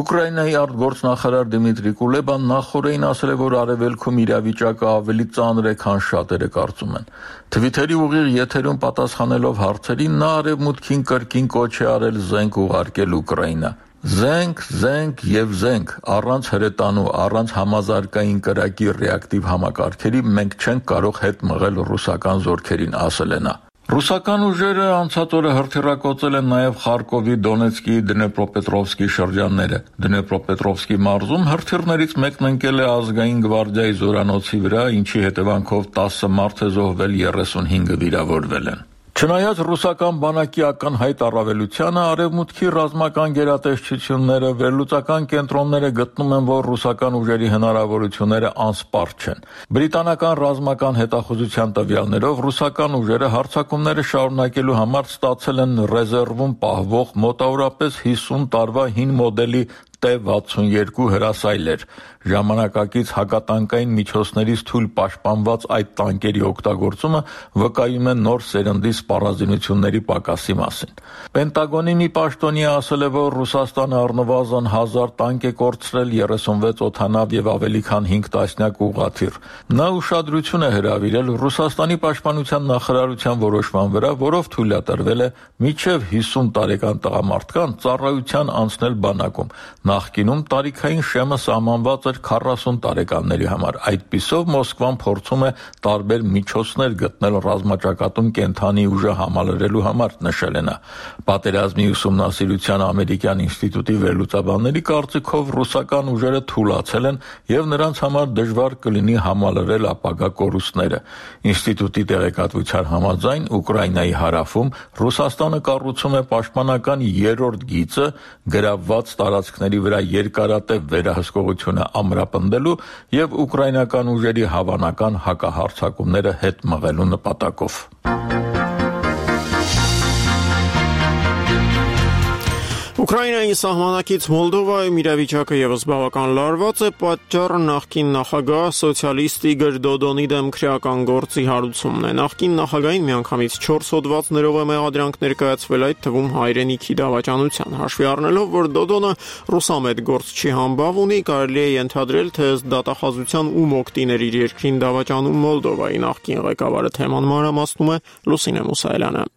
Ուկրաինայի արտգործնախարար Դիմիտրի Կուլեբան նախորդին ասել է, որ արևելքում իրավիճակը ավելի ծանր է, քան շատերը կարծում են։ Թվիթերի ուղիղ եթերում պատասխանելով հարցերին նա արևմուտքին կրկին կոչ է արել զենք ուղարկել Ուկրաինա։ Զենք, զենք եւ զենք, առանց հրետանու, առանց համազարգային կրակի ռեակտիվ համակարգերի մենք չենք կարող հետ մղել ռուսական զորքերին, ասել է նա։ Ռուսական ուժերը անցած օրը հրթիռակոծել են նաև Խարկովի, Դոնեցկի, Դնեպրոպետրովսկի շրջանները։ Դնեպրոպետրովսկի մարզում հրթիռներից մեկն ընկել է ազգային գվարդիայի զորանոցի վրա, ինչի հետևանքով տասը մարդ է զոհվել, երեսունհինգը վիրավորվել են։ Չնայած ռուսական բանակի ակնհայտ առավելությանը, արևմուտքի ռազմական գերատեսչությունները, վերլուծական կենտրոնները գտնում են, որ ռուսական ուժերի հնարավորությունները անսպառ չեն։ Բրիտանական ռազմական հետախուզության տվյալներով ռուսական ուժերը հարձակումները շարունակելու համար ստացել են ռեզերվում պահվող մոտավորապես հիսուն տարվա հին մոդելի T վաթսունյոթ հրասայլեր։ Ժամանակակից հակատանկային միջոցներից թույլ պաշտպանված այդ տանկերի օգտագործումը վկայում է նոր սերնդի սպառազինությունների պակասի մասին։ Պենտագոնի մի պաշտոնյա ասել է, որ Ռուսաստանը առնվազն հազար տանկ է կորցրել, երեսունվեց օդանավ եւ ավելի քան հինգ տասնյակ ուղղաթիռ։ Նա ուշադրություն է հրավիրել Ռուսաստանի պաշտպանության նախարարության որոշման վրա, որով թույլատրվել է մինչև հիսուն տարեկան տղամարդկան ծառայության անցնել բանակում։ Նախկինում տարիքային շեմը սահմանված էր քառասուն տարեկանների համար։ Այդպիսով Մոսկվան փորձում է տարբեր միջոցներ գտնել ռազմաճակատում կենթանի ուժը համալրելու համար, նշել է նա։ Պատերազմի ուսումնասիրության ամերիկյան ինստիտուտի վերլուծաբանների կարծիքով ռուսական ուժերը թուլացել են եւ նրանց համար դժվար կլինի համալրել ապագա կորուստները։ Ինստիտուտի տեղեկատվության համաձայն Ուկրաինայի հարավում Ռուսաստանը կառուցում է պաշտպանական երրորդ գիծը գրավված տարածքների վրա երկարատև վերահսկողությունը ամրապնդելու եւ ուկրաինական ուժերի հավանական հակահարձակումները հետ մղելու նպատակով։ Ուկրաինայի սահմանակից Մոլդովայում իրավիճակը եւս բավական լարված է, պատճառը նախկին նախագահ սոցիալիստ Իգոր Դոդոնի դեմ քրեական գործի հարուցումն է։ Նախկին նախագահին միանգամից չորս հոդվածներով է մեղադրանք ներկայացվել, այդ թվում հայրենիքի դավաճանության։ Հաշվի առնելով, որ Դոդոնը ռուսամետ գործչի համբավ ունի, կարելի է ենթադրել, թե ըստ դատախազության ում օգտիներ իր երկրին դավաճանում Մոլդովայի նախկին ղեկավարը թեման մանրամասնում է Լուսինե Մուսայելյանը։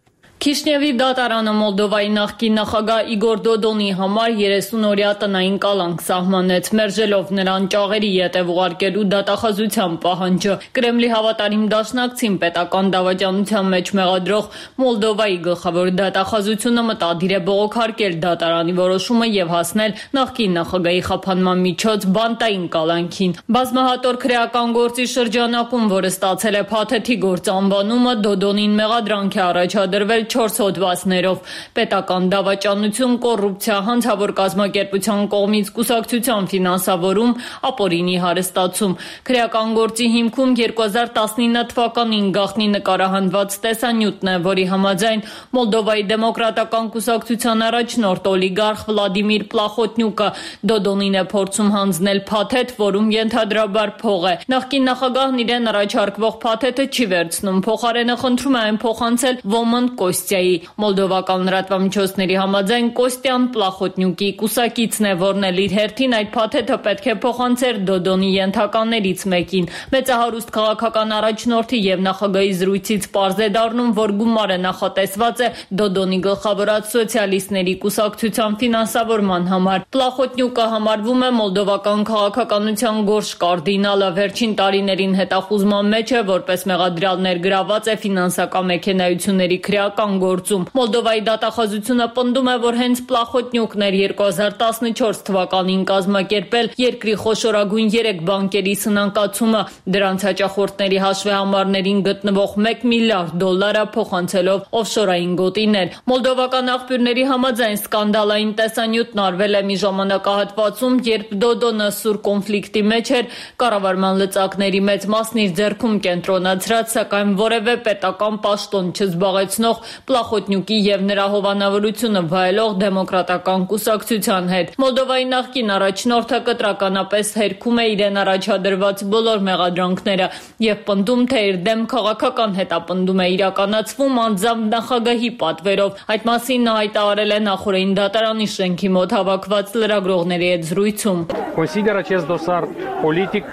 Քիշնևի դատարանը Մոլդովայի նախկին նախագահ Իգոր Դոդոնի համար երեսուն-օրյա տնային կալանք սահմանեց, մերժելով նրան ճաղերի ետև ուղարկելու դատախազության պահանջը։ Կրեմլի հավատարիմ դաշնակցին պետական դավաճանության մեջ մեղադրող Մոլդովայի գլխավոր դատախազությունը մտադիր է բողոքարկել դատարանի որոշումը եւ հասնել նախկին նախագահի խափանման միջոց բանտային կալանքին։ Բազմահատոր քրեական գործի շրջանակում, որը ստացել է փաթեթի գործ անվանումը, Դոդոնին մեղադրանք է առաջադրվել չորս հոդվածներով՝ պետական դավաճանություն, կոռուպցիա, հանցավոր կազմակերպության կողմից կուսակցության ֆինանսավորում, ապօրինի հարստացում։ Քրեական գործի հիմքում երկու հազար տասնինը թվականին գաղտնի նկարահանված տեսանյութն է, որի համաձայն Մոլդովայի դեմոկրատական կուսակցության առաջնորդ օլիգարխ Վլադիմիր Պլախոտնյուկը Դոդոնին է փորձում հանձնել փաթեթ, որում ենթադրաբար փող է։ Նախկին նախագահն իրեն առաջարկվող փաթեթը չի վերցնում, փոխարենը խնդրում է այն փոխանցել Ոմն Կոստյայի։ Մոլդովական լրատվամիջոցների համաձայն Կոստյան Պլախոտնյուկի կուսակիցն է, որն էլ իր հերթին այդ փաթեթը պետք է փոխանցեր Դոդոնի ենթականերից մեկին։ Մեծահարուստ քաղաքական առաջնորդի եւ նախագահի զրույցից պարզ է դառնում, որ գումարը նախատեսված է Դոդոնի գլխավորած սոցիալիստների կուսակցության ֆինանսավորման համար։ Պլախոտնյուկը համարվում է մոլդովական քաղաքականության գորշ կարդինալը, վերջին տարիներին հետախուզման մեջ է, որպես մեղադրյալ ներգրաված է ֆինանսական մեքենայությունների քրեական գործում։ Մոլդովայի դատախազությունը պնդում է, որ հենց Պլախոտնյուկն էր երկու հազար տասնչորս թվականին կազմակերպել երկրի խոշորագույն երեք բանկերի սնանկացումը, դրանց հաճախորդների հաշվեհամարներին գտնվող մեկ միլիարդ դոլարը փոխանցելով օֆշորային գոտիներ։ Մոլդովական աղբյուրների համաձայն սկանդալային տեսանյութն արվել է մի ժամանակահատվածում, երբ Դոդոնը սուր կոնֆլիկտի մեջ էր, կառավարման լծակների մեծ մասն իր ձեռքում կենտրոնացրած, սակայն որևէ պետական պաշտոն չզբաղեցնող Պլախոտնյուկի եւ նրա հովանավորությունը վայելող դեմոկրատական կուսակցության հետ։ Մոլդովայի նախկին առաջնորդը կտրականապես հերքում է իրեն առաջադրված բոլոր մեղադրանքները եւ պնդում, թե իր դեմ քաղաքական հետապնդում է իրականացվում անձամբ նախագահի պատվերով։ Այդ մասին նա հայտարարել է նախորդին դատարանի շենքի մոտ հավաքված լրագրողների հետ զրույցում։ Consider acest dosar politic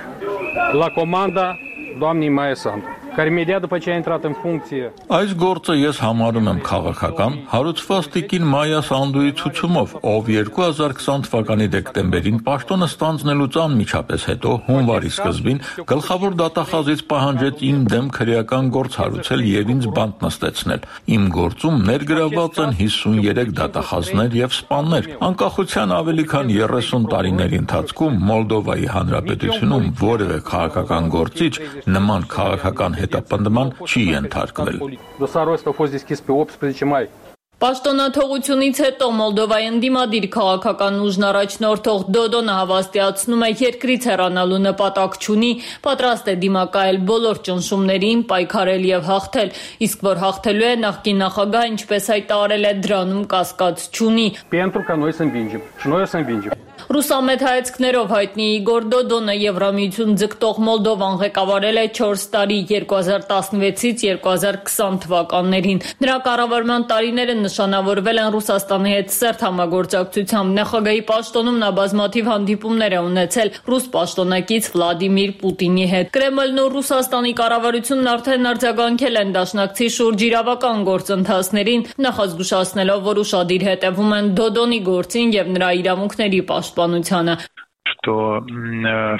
la comanda doamnei Maia Sandu, care imediat după ce a intrat în funcție. Այս գործը ես համարում եմ քաղաքական, հարուցված տիկին Մայա Սանդուի ցուցումով, ով երկու հազար քսան թվականի դեկտեմբերին պաշտոնը ստանձնելուց անմիջապես հետո հունվարի սկզբին գլխավոր դատախազից պահանջեց իմ դեմ քրեական գործ հարուցել եւ ինձ բանտ նստեցնել։ Իմ գործում ներգրաված են հիսունյուրեք դատախազներ եւ սպաներ։ Անկախության ավելի քան երեսուն տարիների ընթացքում Մոլդովայի հանրապետությունում որևէ քաղաքական գործիչ նման քաղաքական հետապնդման չի ենթարկվել։ Պաշտոնաթողությունից հետո Մոլդովայի ընդդիմադիր քաղաքական ուժն առաջնորդող Դոդոնը հավաստիացնում է երկրից հեռանալու նպատակ չունի, պատրաստ է դիմակայել բոլոր ճնշումներին, պայքարել եւ հաղթել, իսկ որ հաղթելու է նախկին նախագահը, ինչպես հայտարարել է, դրանում կասկած չունի։ Ռուսամետ հայացքներով հայտնի Իգոր Դոդոնը Եվրամիություն ձգտող Մոլդովան ղեկավարել է չորս տարի երկու հազար տասնվեցից երկու հազար քսան թվականներին։ Նրա կառավարման տարիները նշանավորվել են Ռուսաստանի հետ սերտ համագործակցությամբ։ Նախագահի պաշտոնում նա բազմաթիվ հանդիպումներ է ունեցել ռուս պաշտոնակից Վլադիմիր Պուտինի հետ։ Կրեմլն ու Ռուսաստանի կառավարությունն արդեն արձագանքել են դաշնակցի շուրջ իրավական գործընթացներին, նախազգուշացնելով, որ ուշադիր հետևում են Դոդոնի գործին եւ նրա իրավունքների պաշտպանությանը։ Что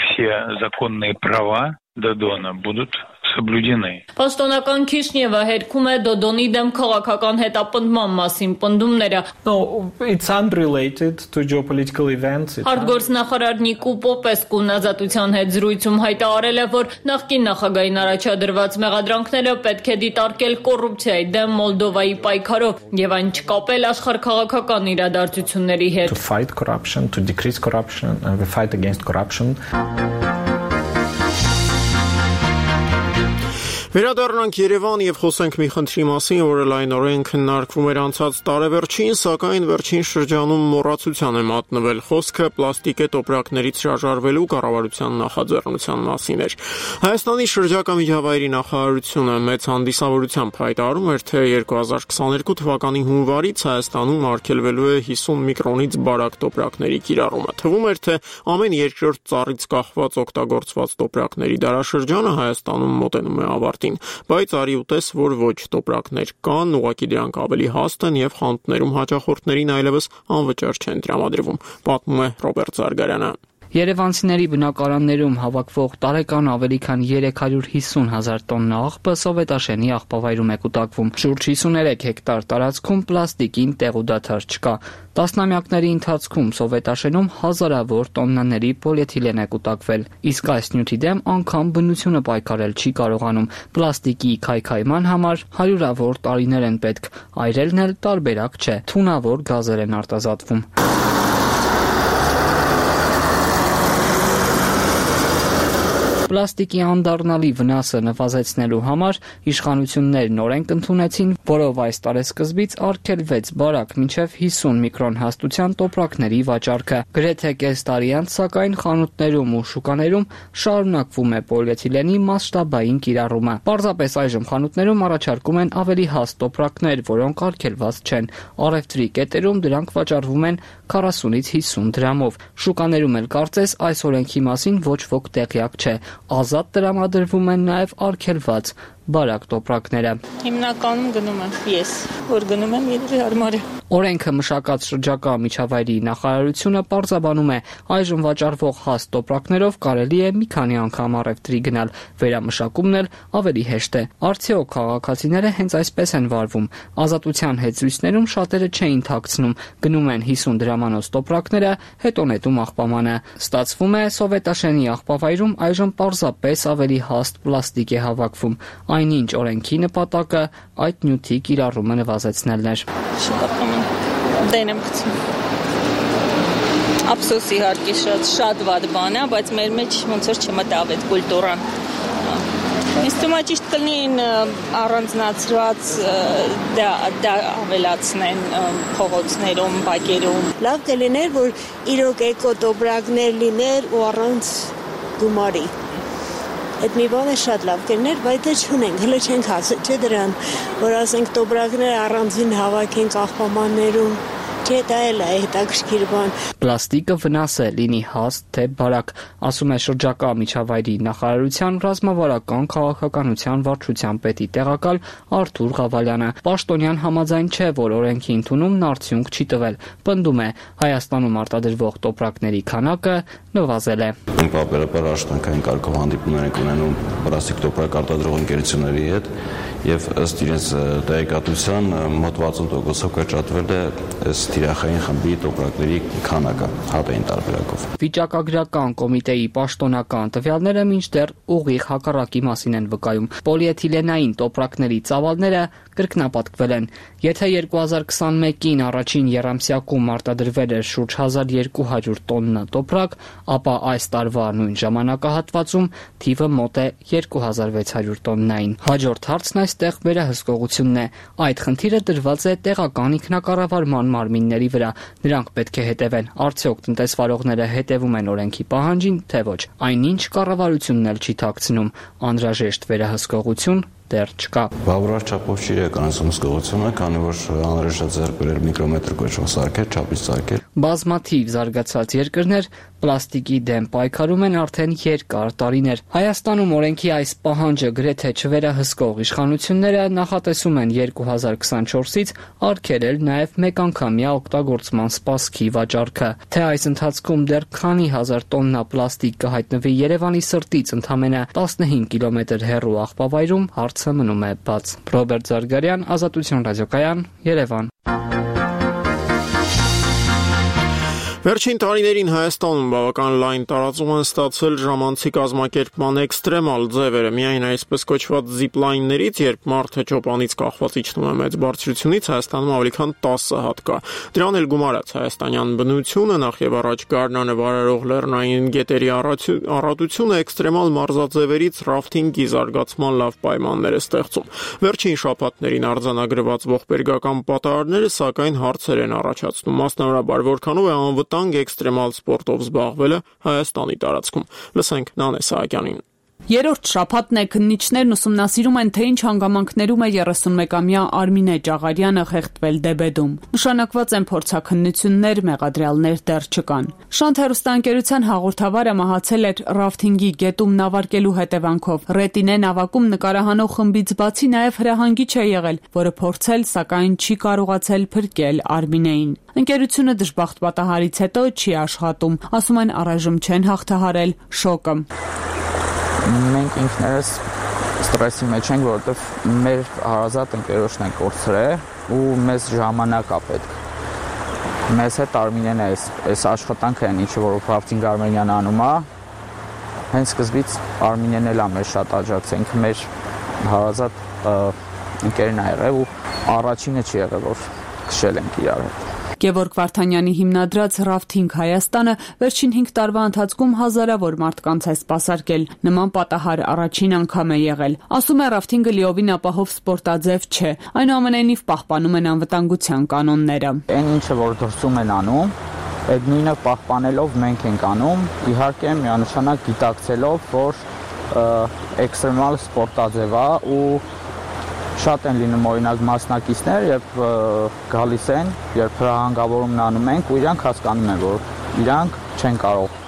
все законные права Додона будут соблюдены. Պաշտոնական Քիշնևը հերքում է Դոդոնի դեմ քաղաքական հետապնդման մասին պնդումները։ No, it's unrelated to geopolitical events. Արտգործնախարար Նիկո Պոպեսկուն ազատության հետ զրույցում հայտարարել է, որ նախկին նախագահային առաջադրված մեղադրանքները պետք է դիտարկել կոռուպցիայի դեմ Մոլդովայի պայքարով եւ այն չկապել աշխարհքաղաքական իրադարձությունների հետ։ To fight corruption, to decrease corruption, and we fight against corruption. Վերադառնանք Երևան եւ խոսենք մի խնդրի մասին, որը լայնորեն քննարկվում էր անցած տարեվերջին, սակայն վերջին շրջանում մոռացության է մատնվել խոսքը պլաստիկե տոպրակներից հրաժարվելու կառավարության նախաձեռնության մասին էր։ Հայաստանի շրջակա միջավայրի նախարարությունը մեծ հանդիսավորությամբ հայտարարում էր, թե երկու հազար քսաներկու թվականի հունվարից Հայաստանում արգելվելու է հիսուն միկրոնից բարակ տոպրակների կիրառումը։ Թվում էր, թե ամեն երկրորդ ծառից կախված օգտագործված տոպրակների դարաշրջանը Հայաստանում մոտենում է ավարտին, բայց արի ուտես, որ ոչ տոպրակներ կան, ուղղակի դրանք ավելի հաստ են եւ խանութներում հաճախորդներին այլևս անվճար չեն տրամադրվում, պատմում է Ռոբերտ Զարգարյանը։ Երևանցիների բնակարաններում հավաքվող տարեկան ավելի քան երեք հարյուր հիսուն հազար տոննա աղբը Սովետաշենի աղբավայրում է կուտակվում։ Շուրջ հիսուներեք հեկտար տարածքում պլաստիկին տեղ ու դադար չկա։ Տասնամյակների ընթացքում Սովետաշենում հազարավոր տոննաների պոլիէթիլեն է կուտակվել, իսկ այս նյութի դեմ անգամ բնությունը պայքարել չի կարողանում։ Պլաստիկի քայքայման համար հարյուրավոր տարիներ են պետք, այրելն էլ տարբերակ չէ, թունավոր գազեր են արտազատվում։ Պլաստիկի անդառնալի վնասը նվազեցնելու համար իշխանություններն օրենք ընդունեցին, որով այս տարեսկզբից արգելվեց բարակ մինչև հիսուն միկրոն հաստության տոպրակների վաճառքը։ Գրեթե կես տարի անց, սակայն խանութներում ու շուկաներում շարունակվում է պոլիէթիլենի մասշտաբային կիրառումը։ Պարզապես այժմ խանութներում առաջարկում են ավելի հաստ տոպրակներ, որոնք արգելված չեն։ Առևտրի կետերում դրանք վաճառվում են քառասունից հիսուն դրամով։ Շուկաներում էլ կարծես այս օրենքի մասին ոչ ոք տեղյակ չէ։ Ազատ տրամադրվում են նաև արգելված բարակ տոպրակները։ Հիմնականում գնում եմ ես, որ գնում եմ երևի հարմար է։ Օրենքը մշակած շրջակա միջավայրի նախարարությունը պարզաբանում է, այժմ վաճառվող հաստ տոպրակներով կարելի է մի քանի անգամ առևտրի գնալ, վերամշակումն էլ ավելի հեշտ է։ Արդյոք քաղաքացիները հենց այսպես են վարվում։ Ազատության հետզրույցներում շատերը չէին թաքցնում, գնում են հիսուն դրամանոց տոպրակները, հետո նետում աղբամանը։ Ստացվում է Սովետաշենի աղբավայրում այժմ պարզապես ավելի հաստ պլաստիկ է հավաքվում։ Այնինչ օրենքի նպատակը այդ նյութի կիրառումը նվազեցնելն էր։ Դեն եմ գցում։ Ափսոս իհարկե շատ շատ վատ բան է, բայց մեր մեջ ոնց որ չմտավ այդ կուլտուրան։ Ինձ թվում է ճիշտ կլինի առանձնացված դա դա ավելացնեն փողոցներում, բակերում։ Լավ կլիներ, որ իրոք էկոտոպրակներ լիներ ու առանց գումարի։ Այդ մի բանը շատ լավ կլիներ, բայց դե չունենք, հələ չենք հասել, չէ՞ դրան, որ ասենք տոպրակները առանձին հավաքենք աղբամաններում։ Չէ, դա էլ է հետաքրքիր բան։ Պլաստիկը վնաս է, լինի հաստ թե բարակ, ասում է շրջակա միջավայրի նախարարության ռազմավարական քաղաքականության վարչության պետի տեղակալ Արթուր Ղավալյանը։ Պաշտոնյան համաձայն չէ, որ օրենքի ընդունումն արդյունք չի տվել։ Պնդում է, Հայաստանում արտադրվող տոպրակների քանակը նվազել է։ Պարբերաբար աշխատանքային կարգով հանդիպումներ ենք ունենում պլաստիկ տոպրակ արտադրող ընկերությունների հետ եւ ըստ իրենց տեղեկատվության մոտ վաթսուն տոկոսով կրճատվել է ըստ թիրախային խմբի տոպրակների քանակը հատային տարբերակով։ Վիճակագրական կոմիտեի պաշտոնական տվյալները մինչդեռ ուղիղ հակառակի մասին են վկայում։ Պոլիէթիլենային տոպրակների ծավալները կրկնապատկվել են։ Եթե երկու հազար քսանմեկին առաջին եռամսյակում արտադրվել էր շուրջ հազար երկու հարյուր տոննա տոպրակ, ապա այս տարվա նույն ժամանակահատվածում թիվը մոտ է երկու հազար վեց հարյուր տոննային։ Հաջորդ հարցն այստեղ վերահսկողությունն է։ Այդ խնդիրը դրված է տեղական ինքնակառավարման մարմինների վրա։ Նրանք պետք է հետևեն, արդյոք տնտեսվարողները հետևում են օրենքի պահանջին, թե ոչ։ Այնինչ կառավարությունն էլ չի թաքցնում, անհրաժեշտ վերահսկողություն դեռ չկա։ Բավարար չափով չի իրականացում հսկողությունը, քանի որ անհրաժեշտ է ձեռք բերել միկրոմետր կոչվող սարքեր, չափից սարքեր։ Բազմաթիվ զարգացած երկրներ պլաստիկի դեմ պայքարում են արդեն երկար տարիներ։ Հայաստանում օրենքի այս պահանջը գրեթե չվերահսկող իշխանությունները նախատեսում են երկու հազար քսանչորսից արգելել նաև մեկանգամյա օգտագործման սպասքի վաճառքը։ Թե այս ընթացքում դեռ քանի հազար տոննա պլաստիկ կհայտնվի Երևանի սրտից ընդամենը տասնհինգ կիլոմետր հեռու աղբավայրում, հարցը մնում է բաց։ Ռոբերտ Զարգարյան, Ազատություն ռադիոկայան, Երևան։ Վերջին տարիներին Հայաստանում բավական լայն տարածում են ստացել ժամանցի կազմակերպման էքստրեմալ ձևերը, միայն այսպես կոչված զիպլայններից, երբ մարդը ճոպանից կախված իջնում է մեծ բարձրությունից, Հայաստանում ավելի քան տասը հատ կա։ Դրան էլ գումարած հայաստանյան բնությունը, նախ եւ առաջ գարնանը վարարող լեռնային գետերի առատությունը էքստրեմալ մարզաձևերից ռաֆթինգի զարգացման լավ պայմաններ է ստեղծում։ Վերջին շաբաթներին արձանագրված ողբերգական պատահարները սակայն հարցեր են առաջացնում, մասնավորաբար որքանով է անվտանգ էքստրեմալ սպորտով զբաղվելը Հայաստանի տարածքում։ Լսենք Նանե Սահակյանին։ Երրորդ շաբաթն է քննիչներն ուսումնասիրում են, թե ինչ հանգամանքներում է երեսունմեկամյա Արմինե Ճաղարյանը խեղդվել Դեբեդում։ Նշանակված են փորձաքննություններ, մեղադրյալներ դեռ չկան։ Շանթ հեռուստաընկերության հաղորդավարը մահացել էր ռաֆթինգի գետում նավարկելու հետևանքով։ Ռետինե նավակում նկարահանող խմբից բացի նաև հրահանգիչ է եղել, որը փորձել, սակայն չի կարողացել փրկել Արմինեին։ Ընկերությունը դժբախտ պատահարից հետո չի աշխատում, ասում են առայժմ չեն հաղթահարել շոկը։ Մենք ինքներս ստրեսի մեջ ենք, որովհետև մեր հարազատ ընկերոջն է կորցրել ու մեզ ժամանակ է պետք։ Մեզ հետ Արմինեն է այս աշխատանքը են, ինչը որ ռաֆթինգ Արմենիան անում է, հենց սկզբից Արմինեն էլ է մեզ շատ աջակցել, մեր հարազատ ընկերն է եղել ու առաջինը չի եղել, որ քշել ենք իրար հետ։ Գևորգ Վարդանյանի հիմնադրած Rafting Հայաստանը վերջին հինգ տարվա ընթացքում հազարավոր մարդկանց է սպասարկել։ Նման պատահար առաջին անգամ է եղել։ Ասում է Rafting-ը լիովին ապահով սպորտաձև չէ, այնուամենայնիվ պահպանում են անվտանգության կանոնները։ Այն ինչը որ դրսում են անում, այդ նույնը պահպանելով մենք ենք անում, իհարկե միանշանակ գիտակցելով, որ էքստրեմալ սպորտաձև է ու շատ են լինում օրինակ մասնակիցներ, երբ գալիս են, երբ հրահանգավորումն անում ենք ու իրանք հասկանում են, որ իրանք չեն կարող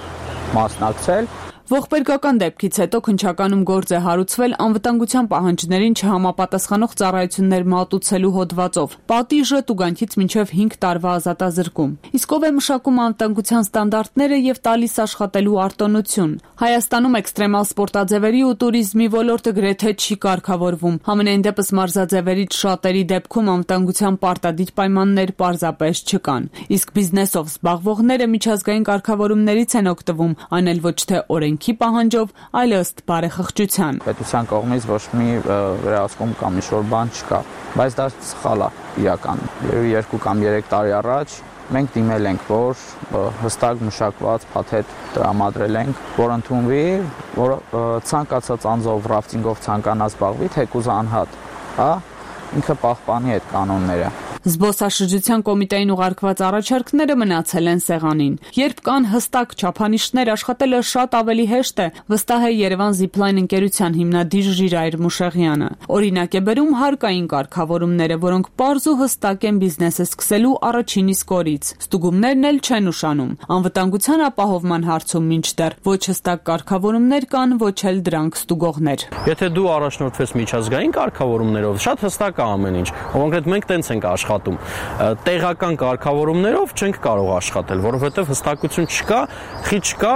մասնակցել։ Ողբերգական դեպքից հետո քննչականում գործ է հարուցվել անվտանգության պահանջներին չհամապատասխանող ծառայություններ մատուցելու հոդվածով։ Պատիժը տուգանքից մինչև հինգ տարվա ազատազրկում։ Իսկ ով է մշակում անվտանգության ստանդարտները եւ տալիս աշխատելու արտոնություն։ Հայաստանում էքստրեմալ սպորտաձևերի ու туриզմի ոլորտը գրեթե չի կարգավորվում։ Համենայն դեպս մարզաձևերից շատերի դեպքում անվտանգության պարտադիր պայմաններ պարզապես չկան։ Իսկ բիզնեսով զբաղվողները միջազգային կարգավորումներից են օգտվում, այն էլ ոչ թե օրենք պահանջով, այլ ըստ բարեխղճության։ Պետության կողմից ոչ մի վերահսկում կամ ինչ-որ բան չկա, բայց դա սխալ է իրական։ Երկու կամ երեք տարի առաջ մենք դիմել ենք, որ հստակ մշակված փաթեթ տրամադրել ենք, որ ընդունվի, որ ցանկացած անձով ռաֆտինգով ցանկանա զբաղվի, թեկուզ անհատ, հա, ինքը պահպանի այդ կանոնները։ Զբոսաշրջության կոմիտեին ուղարկված առաջարկները մնացել են սեղանին։ Երբ կան հստակ չափանիշներ, աշխատելը շատ ավելի հեշտ է, վստահ է Երևան Zipline ընկերության հիմնադիր Ժիրայր Մուշեղյանը։ Օրինակ է բերում հարկային կարգավորումները, որոնք պարզ ու հստակ են բիզնեսը սկսելու առաջին իսկ օրից։ Ստուգումներն էլ չեն ուշանում։ Անվտանգության ապահովման հարցում մինչդեռ ոչ հստակ կարգավորումներ կան, ոչ էլ դրանք ստուգողներ։ Եթե դու առաջնորդվես միջազգային կարգավորումներով, շատ հստակ է ամեն ինչ։ Կոնկրետ մենք տենց ենք աշխատում։ Տեղական կարգավորումներով չենք կարող աշխատել, որովհետև հստակություն չկա, խի չկա,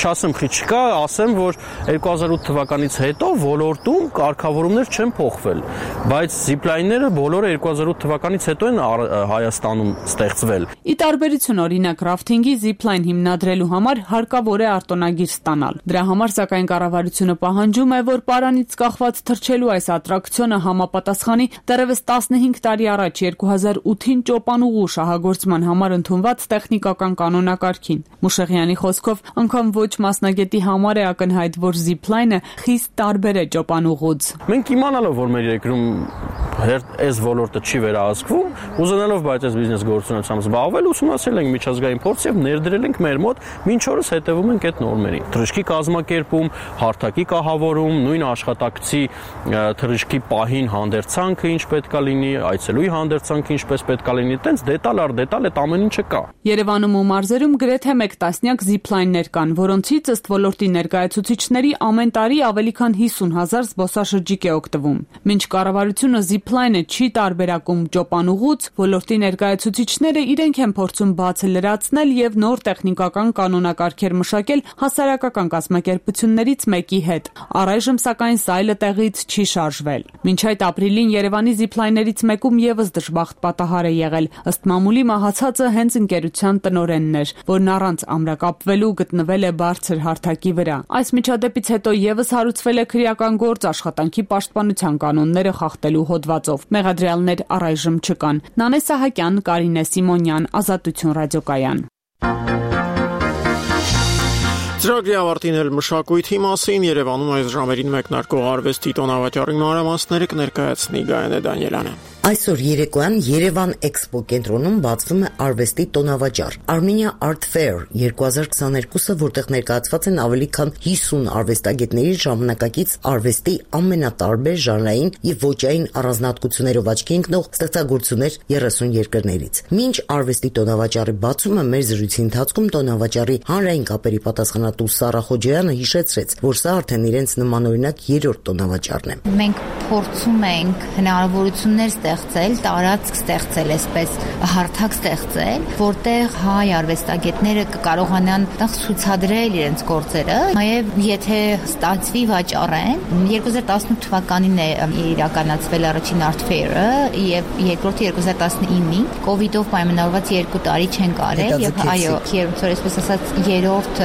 չասեմ խի չկա, ասեմ, որ երկու հազար ութ թվականից հետո ոլորտում կարգավորումներ չեն փոխվել, բայց զիպլայնները բոլորը երկու հազար ութ թվականից հետո են Հայաստանում ստեղծվել։ Ի տարբերություն օրինակ ռաֆթինգի զիպլայն հիմնադրելու համար հարկավոր է արտոնագիր ստանալ։ Դրա համար սակայն կառավարությունը պահանջում է, որ պարանից կախված թռչելու այս ատրակցիոնը համապատասխանի դեռևս տասնհինգ տարի առաջ երկու հազար ութին ճոպանուղու շահագործման համար ընդունված տեխնիկական կանոնակարգին։ Մուշեղյանի խոսքով անգամ ոչ մասնագետի համար է ակնհայտ, որ զիպլայնը խիստ տարբեր է ճոպանուղուց։ Մենք իմանալով, որ մեր երկրում այս ոլորտը չի վերահսկվում, ուզենալով բայց այս բիզնես գործունեությամբ զբաղվել, ուսումնասիրել ենք միջազգային փորձ եւ ներդրել ենք մեր մոտ, մինչ օրս հետևում ենք այդ նորմերին։ Թռիչքի կազմակերպում, հարթակի կահավորում, նույն աշխատակցի թռիչքի պահին հանդերձանքը ինչ պետք է լինի, այցելուի հանդերձանքը ինչպես պետք է լինի, տենց դետալ առ դետալ այդ ամեն ինչը կա։ Երևանում ու մարզերում գրեթե մեկ տասնյակ զիպլայններ կան, որոնցից ըստ ոլորտի ներկայացուցիչների ամեն տարի ավելի քան հիսուն հազար զբոսաշրջիկ է օգտվում։ Մինչ կառավարությունը Zipline-ը չի տարբերակում ճոպանուղուց, ոլորտի ներկայացուցիչները իրենք են փորձում բացը լրացնել եւ նոր տեխնիկական կանոնակարգեր մշակել հասարակական կազմակերպություններից մեկի հետ։ Առայժմ սակայն սայլը տեղից չի շարժվել։ Մինչ այդ ապրիլին Երևանի Zipline-ներից մեկում եւս դժբախտ պատահար է եղել։ Ըստ մամուլի մահացածը հենց ընկերության տնօրենն էր, որն առանց ամրակապվելու գտնվել է բարձր հարթակի վրա։ Այս միջադեպից հետո եւս հարուցվել է քրեական գործ աշխատանքի պաշտպանության կանոնները խախտելու հոդվածով։ Մեղադրյալներ առայժմ չկան։ Նանե Սահակյան, Կարինե Սիմոնյան, Ազատություն ռադիոկայան։ Ծրագրի ավարտին էլ մշակույթի մասին Երևանում այս ժամերին մեկնարկող արվեստի տոնավաճառի մանրամասները կներկայացնի Գայանե Դանիելյանը։ Այսօր երեկոյան Երևան Էքսպո կենտրոնում բացվում է արվեստի տոնավաճառ Armenia Art Fair երկու հազար քսաներկուսը, որտեղ ներկայացված են ավելի քան հիսուն արվեստագետների ժամանակակից արվեստի ամենատարբեր ժանրային եւ ոճային առանձնահատկություններով աչքի ընկնող ստեղծագործություններ երեսուն երկրներից։ Մինչ արվեստի տոնավաճառի բացումը մեր զրույցի ընթացքում տոնավաճառի հանրային կապերի պատասխանատու Սարա Խոջոյանը հիշեցրեց, որ սա արդեն իրենց նմանօրինակ երրորդ տոնավաճառն է։ Մենք փորձում ենք հնարավորություններ ստեղծել, տարածք ստեղծել, այսպես հարթակ ստեղծել, որտեղ հայ արվեստագետները կկարողանան ցուցադրել իրենց գործերը, նաև եթե ստացվի վաճառեն, երկու հազար տասնութ թվականին է իրականացվել առաջին Art Fair-ը եւ երկրորդը երկու հազար տասնինին, կոവിഡ്ով պայմանավորված երկու տարի չեն կարել եւ այո, երբ որ այսպես ասած երրորդ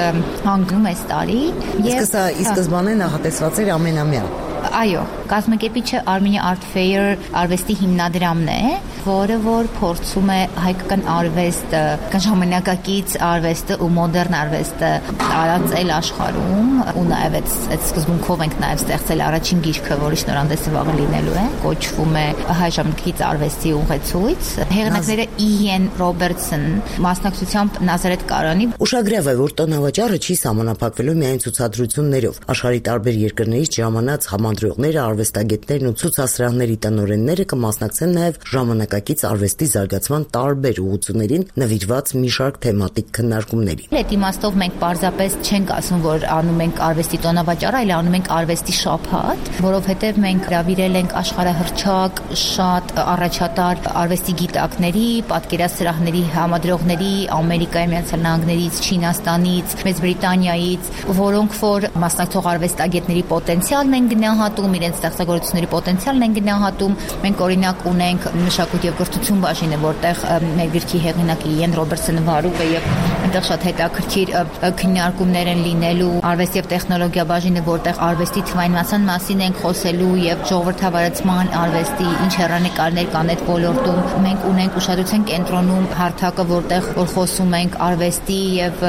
հանգում է տարի եւ սա ի սկզբանե նախատեսված էր ամենամյա։ Այո, կազմակերպիչը Armenia Art Fair արվեստի հիմնադրամն է, որը որ փորձում է հայկական արվեստը, ժամանակակից արվեստը ու մոդեռն արվեստը տարածել աշխարհում, ու նաև այդ սկզբունքով ենք նաև ստեղծել առաջին գիրքը, որի շնորհանդեսը վաղը լինելու է, կոչվում է հայ ժամանակակից արվեստի ուղեցույց։ Հեղինակները Իեն Ռոբերտսոն, մասնակցությամբ Նազարեթ Կարանի։ Ուշագրավ է, որ տոնավաճառը չի սահմանափակվելու միայն ցուցադրություններով։ Աշխարհի տարբեր երկրներից ժամանած համադրողները, արվեստագետներն ու ցուցասրահների տնօրենները կմասնակցեն նաև ժամանակակից արվեստի զարգացման տարբեր ուղղություններին նվիրված մի շարք թեմատիկ քննարկումների։ Այդ իմաստով մենք պարզապես չենք ասում, որ անում ենք արվեստի տոնավաճառ, այլ անում ենք արվեստի շաբաթ, որովհետև մենք հրավիրել ենք աշխարհահռչակ շատ առաջատար արվեստի գիտակների, պատկերասրահների համադրողների Ամերիկայի Միացյալ Նահանգներից, Չինաստանից, Մեծ Բրիտանիայից, որոնք որ մասնակցող արվեստագետների պոտենցիալն են գնահատում, իրենց ստեղծագործությունների պոտենցիալն են գնահատում։ Մենք օրինակ ունենք մշակույթ եւ կրթություն բաժինը, որտեղ մեր գրքի հեղինակը Իեն Ռոբերտսոնը վարում է եւ այնտեղ շատ հետաքրքիր քննարկումներ են լինելու։ Արվեստ եւ տեխնոլոգիա բաժինը, որտեղ արվեստի թվայնացման մասին ենք խոսելու եւ ժողովրդավարացման արվեստի ինչ հեռանկարներ կան այդ ոլորտում։ Մենք ունենք ուշադրության կենտրոնում հարթակը, որտեղ որ խոսում ենք արվեստի եւ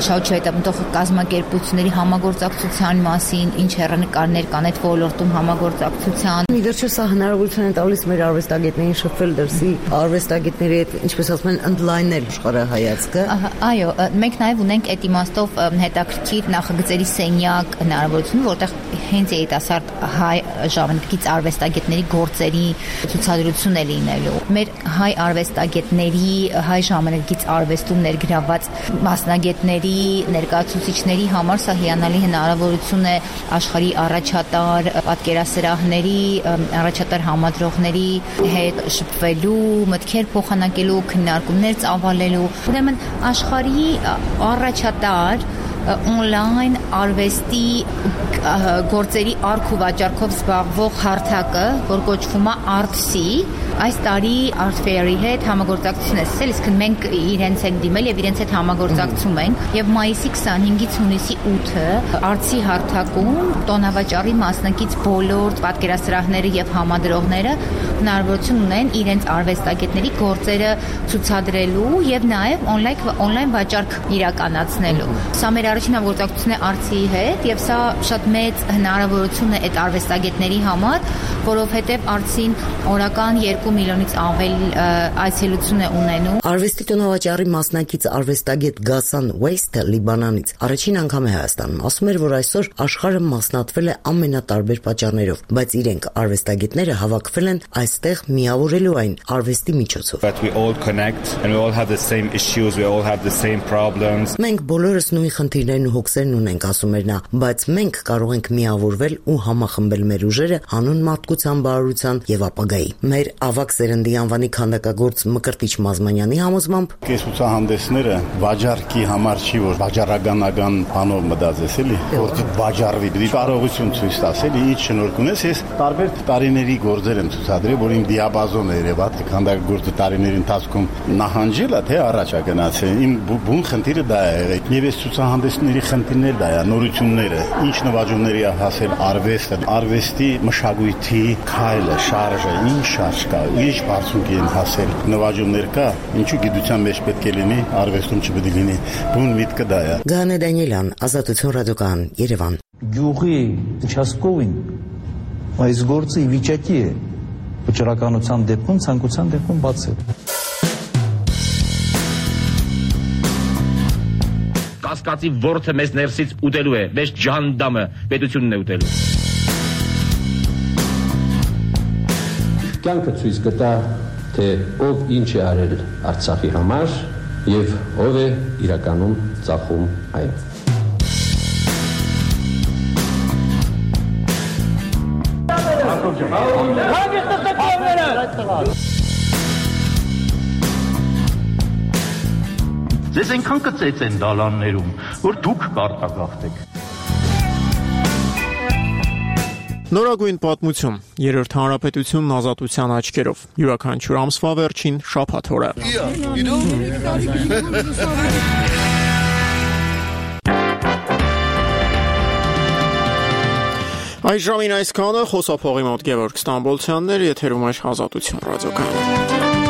շահութեետապտող կազմակերպությունների համագործակցության մասին, ինչ հեռանկարներ կան այդ ոլորտում համագործակցության։ Իդերչը սա հնարավորություն է տալիս մեր արվեստագետներին շփվել դրսի արվեստագետների հետ, ինչպես ասում են, ընդլայնել աշխարհայացքը։ Այո, մենք նաև ունենք այդ իմաստով հետաքրքիր նախագծերի սենյակ հնարավորություն, որտեղ հենց երիտասարդ հայ ժամանակակից արվեստագետների գործերի ցուցադրություն է լինելու։ Մեր հայ արվեստագետների, հայ ժամանակակից արվեստում ներգրավված մասնագետների, ներկայացուցիչների համար սա հիանալի հնարավորություն է աշխարհի առաջատար պատկերասրահների, առաջատար համադրողների հետ շփվելու, մտքեր փոխանակելու, քննարկումներ ծավալելու։ Ուրեմն աշխարհի առաջատար on-line արվեստի գործերի արք ու վաճառքով զբաղվող հարթակը, որ կոչվում է Artsy, այս տարի Art Fair-ի հետ համագործակցություն է սկսել, իսկ մենք իրենց հետ դիմել եւ իրենց հետ համագործակցում ենք եւ մայիսի քսանհինգից հունիսի ութը Artsy հարթակում տոնավաճառի մասնակից բոլոր պատկերասրահները եւ համադրողները հնարավորություն ունեն իրենց արվեստագետների գործերը ցուցադրելու եւ նաեւ on-line on-line վաճառք իրականացնելու։ Սա մեր առաջին համագործակցությունն է Artsy-ի հետ եւ սա շատ մեծ հնարավորություն է այդ արվեստագետների համար, որովհետեւ Artsy-ն օրական երկու երկու միլիոնից ավել այցելություն է ունենում։ Արվեստի տոնավաճառի մասնակից արվեստագետ Գասան Ուեյստը Լիբանանից առաջին անգամ է Հայաստանում, ասում էր, որ այսօր աշխարհը մասնատվել է ամենատարբեր պատճառներով, բայց իրենք արվեստագետները հավաքվել են այստեղ միավորելու այն արվեստի միջոցով։ But we all connect and we all have the same issues, we all have the same problems. Մենք բոլորս նույն խնդիրներն ու հոգսերն ունենք, ասում էր նա, բայց մենք կարող ենք միավորվել ու համախմբել մեր ուժերը հանուն մարդկության բարօրության եւ ապագայի։ Մեր ավակ սերնդի անվանի քանդակագործ Մկրտիչ Մազմանյանի համոզմամբ կեսուցահանդեսները վաճառքի համար չի, որ վաճառականական բանով մտածես էլի, որ վաճառվի, դի կարողություն ցույց տաս էլի, ինչ շնորհք ունես, ես տարբեր տարիների գործեր եմ ցուցադրել, որ իմ դիապազոնը երևաց քանդակագործի տարիների ընթացքում նահանջել է, թե առաջ է գնացել։ Իմ բուն խնդիրը դա է եղել։ Եվ այս ցուցահանդեսների խնդիրները դա է, նորությունները, ինչ նվաճումների է հասել արվեստը, արվեստի մշակույթի քայլը, շարժը, ինչ շարժ կա, ինչ բարձունքի են հասել, նվաճումներ կա, ինչու գիտության մեջ պետք է լինի, արվեստում չպետք է լինի։ Բուն միտքը դա է։ Գանե Դանիելյան, Ազատություն ռադիոկայան, Երևան։ Գյուղի участковին այս գործը ի վիճակի է վճռականության դեպքում, ցանկության դեպքում բացել։ Կասկածի ворթը մեզ ներսից ուտելու է, մեզ ջանդամը պետությունն է ուտելու։ Կյանքը ցույց կտա, թե ով ինչ է արել Արցախի համար եւ ով է իրականում ծախում այն։ Ձեզ այնքան կծեց են դալաններում, որ դուք կարտագաղթեք։ Նորագույն պատմություն, երրորդ հանրապետությունն ազատության աչքերով, յուրաքանչյուր ամսվա վերջին շաբաթ օրը։ Այս ժամին այսքանը, խոսափողի մոտ Գևորգ Ստամբոլցյանն էր, եթերում էր Ազատություն ռադիոկայանը։